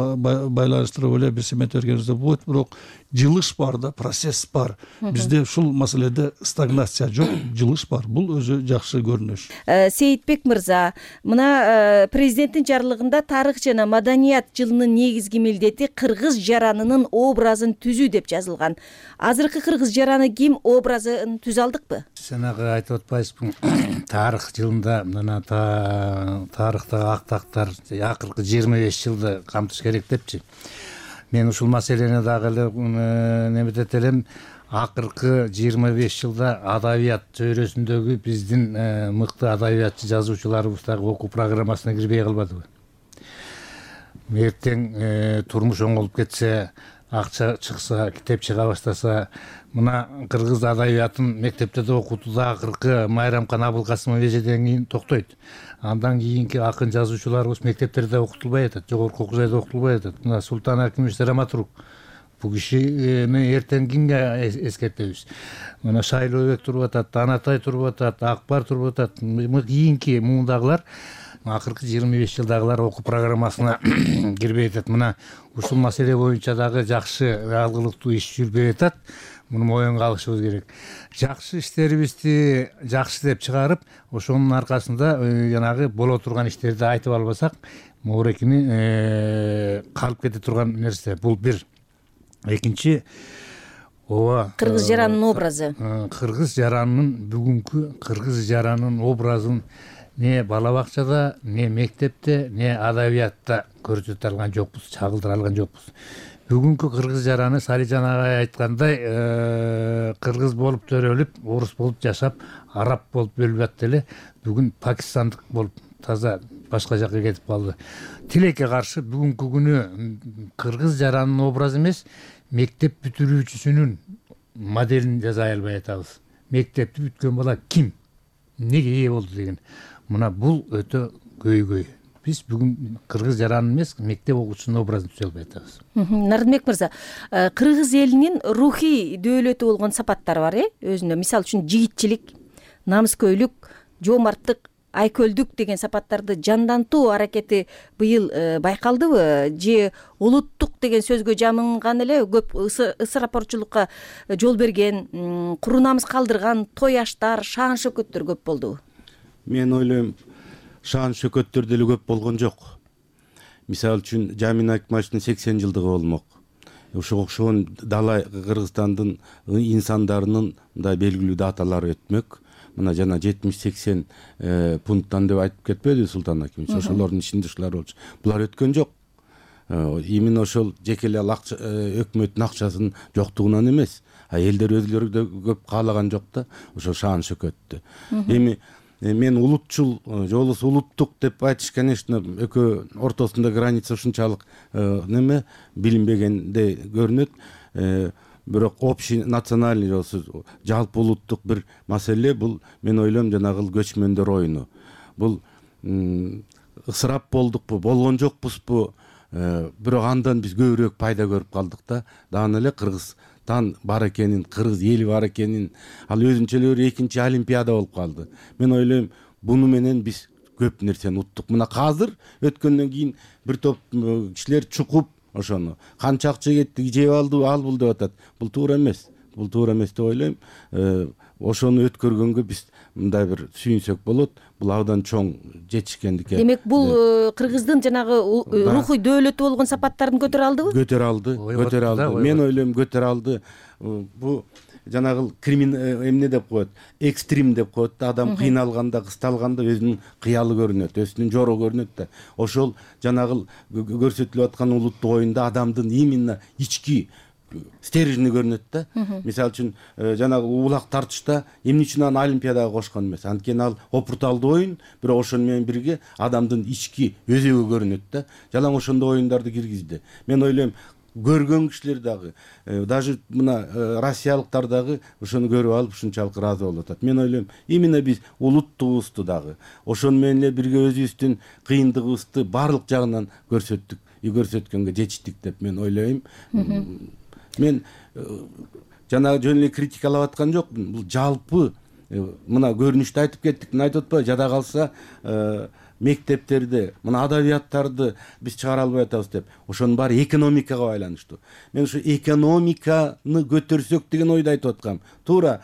байланыштырып эле биз эметип бергенибизде болот, бирок жылыш бар да, процесс бар. Бизде ушул маселеде стагнация жок, жылыш бар. Бул өзү жакшы көрүнүш. Сейитбек мырза, мына президенттин жарлыгында тарых жана маданият жылынын негизги милдети кыргыз жаранынын образын түзүү деп жазылган. Азыркы кыргыз жараны ким, образын түзө алдыкпы? Жанагы айтып атпайсызбы, тарых жылында мына тарыхтагы актактар акыркы жыйырма беш жылды камтыш керек депчи. Мен ушул маселени дагы эле неметет элем. Акыркы жыйырма беш жылда адабият чөйрөсүндөгү биздин мыкты адабиятчы жазуучуларыбыз дагы окуу программасына кирбей калбадыбы? Эртең турмуш оңолуп кетсе, акча чыкса, китеп чыга баштаса, мына кыргыз адабиятын мектепте да окутууда акыркы Майрамкан Абылкасымов эжеден кийин токтойт. Андан кийинки акын жазуучуларыбыз мектептерде окутулбай атат, жогорку окуу жайда окутулбай атат. Мына Султан Акимович драматург. Бул кишини эртең кимге эскертебиз? Мына Шайлообек туруп атат, Танатай туруп атат, Акбар туруп атат. Кийинки мундагылар акыркы жыйырма беш жылдагылар окуу программасына кирбей атат. Мына ушул маселе боюнча дагы жакшы алгылыктуу иш жүрбөй атат. Муну моюнга алышыбыз керек. Жакшы иштерибизди жакшы деп чыгарып, ошонун аркасында жанагы боло турган иштерди айтып албасак, моорекини калып кете турган нерсе. Бул бир. Экинчи, ооба кыргыз жаранынын образы. Кыргыз жаранынын бүгүнкү кыргыз жаранынын образын не бала бакчада, не мектепте, не адабиятта көрсөтө алган жокпуз, чагылдыра алган жокпуз. Бүгүнкү кыргыз жараны Сали жанагы айткандай, кыргыз болуп төрөлүп, орус болуп жашап, араб болуп бөлүп атты эле. Бүгүн пакистандык болуп таза башка жака кетип калды. Тилекке каршы бүгүнкү күнү кыргыз жаранынын образы эмес, мектеп бүтүрүүчүсүнүн моделин жасай албай атабыз. Мектепти бүткөн бала ким, эмнеге ээ болду деген. Мына бул өтө көйгөй. Биз бүгүн кыргыз жаранын эмес, мектеп окуучусунун образын түзө албай атабыз. Нарынбек мырза, кыргыз элинин рухий дөөлөтү болгон сапаттары бар, э? Өзүндө, мисалы үчүн жигитчилик, намыскөйлүк, жоомарттык, айкөлдүк деген сапаттарды жандантуу аракети быйыл байкалдыбы? Же улуттук деген сөзгө жамынган эле көп ысырапорчулукка жол берген, куру намыс калдырган той аштар, шаан шөкөттөр көп болдубу? Мен ойлойм, шаан шөкөттөр деле көп болгон жок. Мисалы үчүн Жамин Акмашевдин сексен жылдыгы болмок. Ошого окшогон дала Кыргызстандын инсандарынын мындай белгилүү даталары өтмөк. Мына жана жетимиш сексен пункттан деп айтып кетпеди Султан Акимович? Ошолордун ичинде ушулар болчу. Булар өткөн жок. Именно ошол жеке эле өкмөттүн акчасынын жоктугунан эмес, а элдер өзүлөрү да көп каалаган жок да, ошо шаан шөкөттү. Эми мен улутчул же болбосо улуттук деп айтыш, конечно, экөө ортосунда граница ушунчалык неме билинбегенде көрүнөт. Бирок общий национальный же болбосо жалпы улуттук бир маселе бул, мен ойлойм, жанагы көчмөндөр оюну. Бул ысырап болдукпу, болгон жокпузбу? Бирок андан биз көбүрөөк пайда көрүп калдык да. Дагы эле Кыргызстан бар экенин, кыргыз эли бар экенин, ал өзүнчө эле бир экинчи олимпиада болуп калды. Мен ойлойм, буну менен биз көп нерсени уттук. Мына азыр өткөндөн кийин бир топ кишилер чукуп ошону канча акча кетти, жеп алды, ал бул деп атат. Бул туура эмес. Бул туура эмес деп ойлойм. Ошону өткөргөнгө биз мындай бир сүйүнсөк болот. Бул абдан чоң жетишкендик. Демек, бул кыргыздын жанагы рухий дөөлөтү болгон сапаттарын көтөрө алдыбы? Көтөрө алды, көтөрө алды. Мен ойлойм, көтөрө алды. Бу жанагы кримин эмне деп коет, экстрим деп коет да, адам кыйналганда, кысталганда өзүнүн кыялы көрүнөт, өзүнүн жору көрүнөт да. Ошол жанагы көрсөтүлүп аткан улуттук оюнда адамдын именно ички стержни көрүнөт да. Мисалы үчүн жанагы улак тартышта эмне үчүн аны олимпиадага кошкон эмес? Анткени ал опурталдуу оюн, бирок ошону менен бирге адамдын ички өзөгү көрүнөт да. Жалаң ошондой оюндарды киргизди. Мен ойлойм, көргөн кишилер дагы, даже мына россиялыктар дагы ошону көрүп алып ушунчалык ыраазы болуп атат. Мен ойлойм, именно биз улуттугубузду дагы, ошону менен эле бирге өзүбүздүн кыйындыгыбызды баардык жагынан көрсөттүк, көрсөткөнгө жетиштик деп мен ойлойм. Мен жанагы жөн эле критикалап аткан жокмун. Бул жалпы мына көрүнүштү айтып кеттик. Мына айтып атпайбы, жада калса мектептерде мына адабияттарды биз чыгара албай атабыз деп. Ошонун баары экономикага байланыштуу. Мен ушу экономиканы көтөрсөк деген ойду айтып аткам. Туура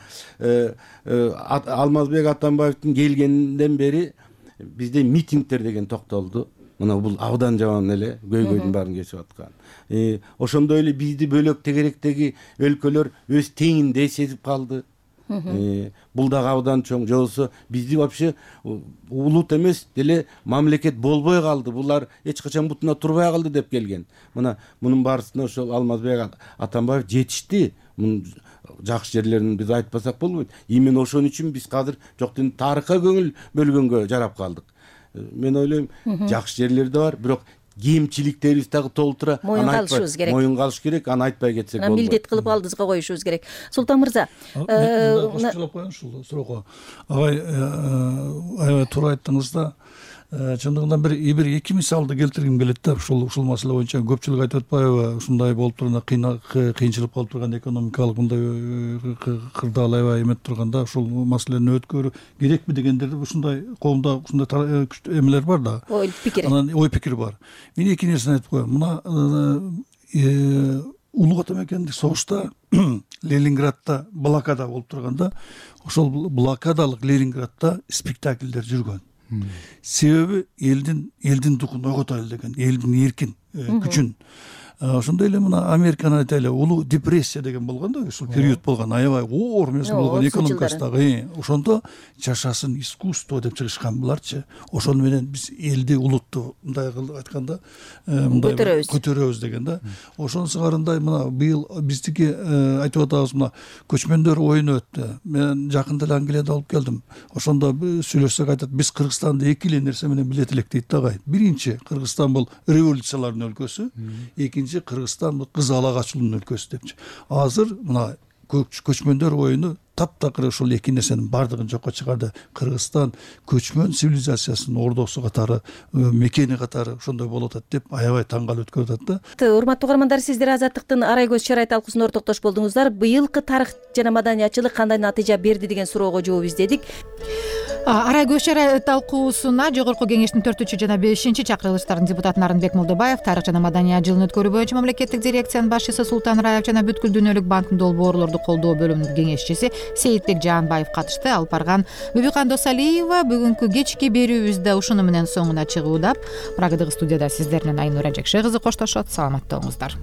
Алмазбек Атамбаевдин келгенден бери бизде митингдер деген токтолду. Мына бул абдан жаман эле көйгөйдүн баарын кесип аткан. Ошондой эле бизди бөлөк тегеректеги өлкөлөр өз теңинде сезип калды. Бул дагы абдан чоң. Жолсо бизди вообще улут эмес деле мамлекет болбой калды. Булар эч качан бутуна турбай калды деп келген. Мына мунун баарысына ошол Алмазбек Атамбаев жетишти. Мунун жакшы жерлерин биз айтпасак болбойт. Именно ошон үчүн биз азыр жоктун тарыхка көңүл бөлгөнгө жарап калдык. Мен ойлойм, жакшы жерлер да бар, бирок кемчиликтерибиз дагы толтура моюн калышыбыз керек. Моюн калыш керек, аны айтпай кетсек болбойт. Милдет кылып алдыбызга коюшубуз керек. Султан мырза, кошчулап коеюн ушул суроого. Агай, аябай туура айттыңыз да. Чындыгында бир бир эки мисалды келтиргим келет да, ушул ушул маселе боюнча. Көпчүлүк айтып атпайбы, ушундай болуп турганда, кыйынчылык болуп турганда, экономикалык мындай кырдаал аябай эметип турганда, ушул маселени өткөрүү керекпи дегендер ушундай коомдо ушундай эмелер бар да. Ой пикир. Анан ой пикир бар. Мен эки нерсени айтып коеюн. Мына Улуу Ата мекендик согушта Ленинградда блокада болуп турганда, ошол блокадалык Ленинградда спектакльдер жүргөн. Себеби элдин элдин духун ойготолу деген, элдин эркин күчүн ошондой эле мына Американы айтайлы, улуу депрессия деген болгон да, ушул период болгон, аябай оор мезгил болгон экономикасындагы. Ошондо жашасын искусство деп чыгышкан буларчы. Ошону менен биз элди, улутту мындай кылып айтканда мындай көтөрөбүз деген да. Ошонусу карындай мына быйыл биздики айтып атабыз, мына көчмөндөр оюну өттү. Мен жакында эле Англияда болуп келдим. Ошондо сүйлөшсөк айтат, биз Кыргызстанды эки эле нерсе менен билет элек дейт да агай. Биринчи, Кыргызстан бул революциялардын өлкөсү. Экинчи, Кыргызстан бул кыз ала качуунун өлкөсү депчи. Азыр мына көчмөндөр оюну таптакыр ушул эки нерсенин бардыгын жокко чыгарды. Кыргызстан көчмөн цивилизациясынын ордосу катары, мекени катары ошондой болуп атат деп аябай таң калып өткөрүп атат да. Урматтуу угармандар, сиздер Азаттыктын Арай көз чарай талкуусуна ортоктош болдуңуздар. Быйылкы тарых жана маданиятчылык кандай натыйжа берди деген суроого жооп издедик. Арай көз чарай талкуусуна жогорку кеңештин төртүнчү жана бешинчи чакырылыштарынын депутаты Нарынбек Молдобаев, тарых жана маданият жылын өткөрүү боюнча мамлекеттик дирекциянын башчысы Султан Раев жана Бүткүл дүйнөлүк банктын долбоорлорду колдоо бөлүмүнүн кеңешчиси Сейитбек Жаанбаев катышты. Алып барган Бүбүкан Досалиева бүгүнкү кечки берүүбүздө ушуну менен соңуна чыгуудап, Прагадагы студияда сиздер менен Айнура Жакшы кызы коштошот. Саламатта болуңуздар.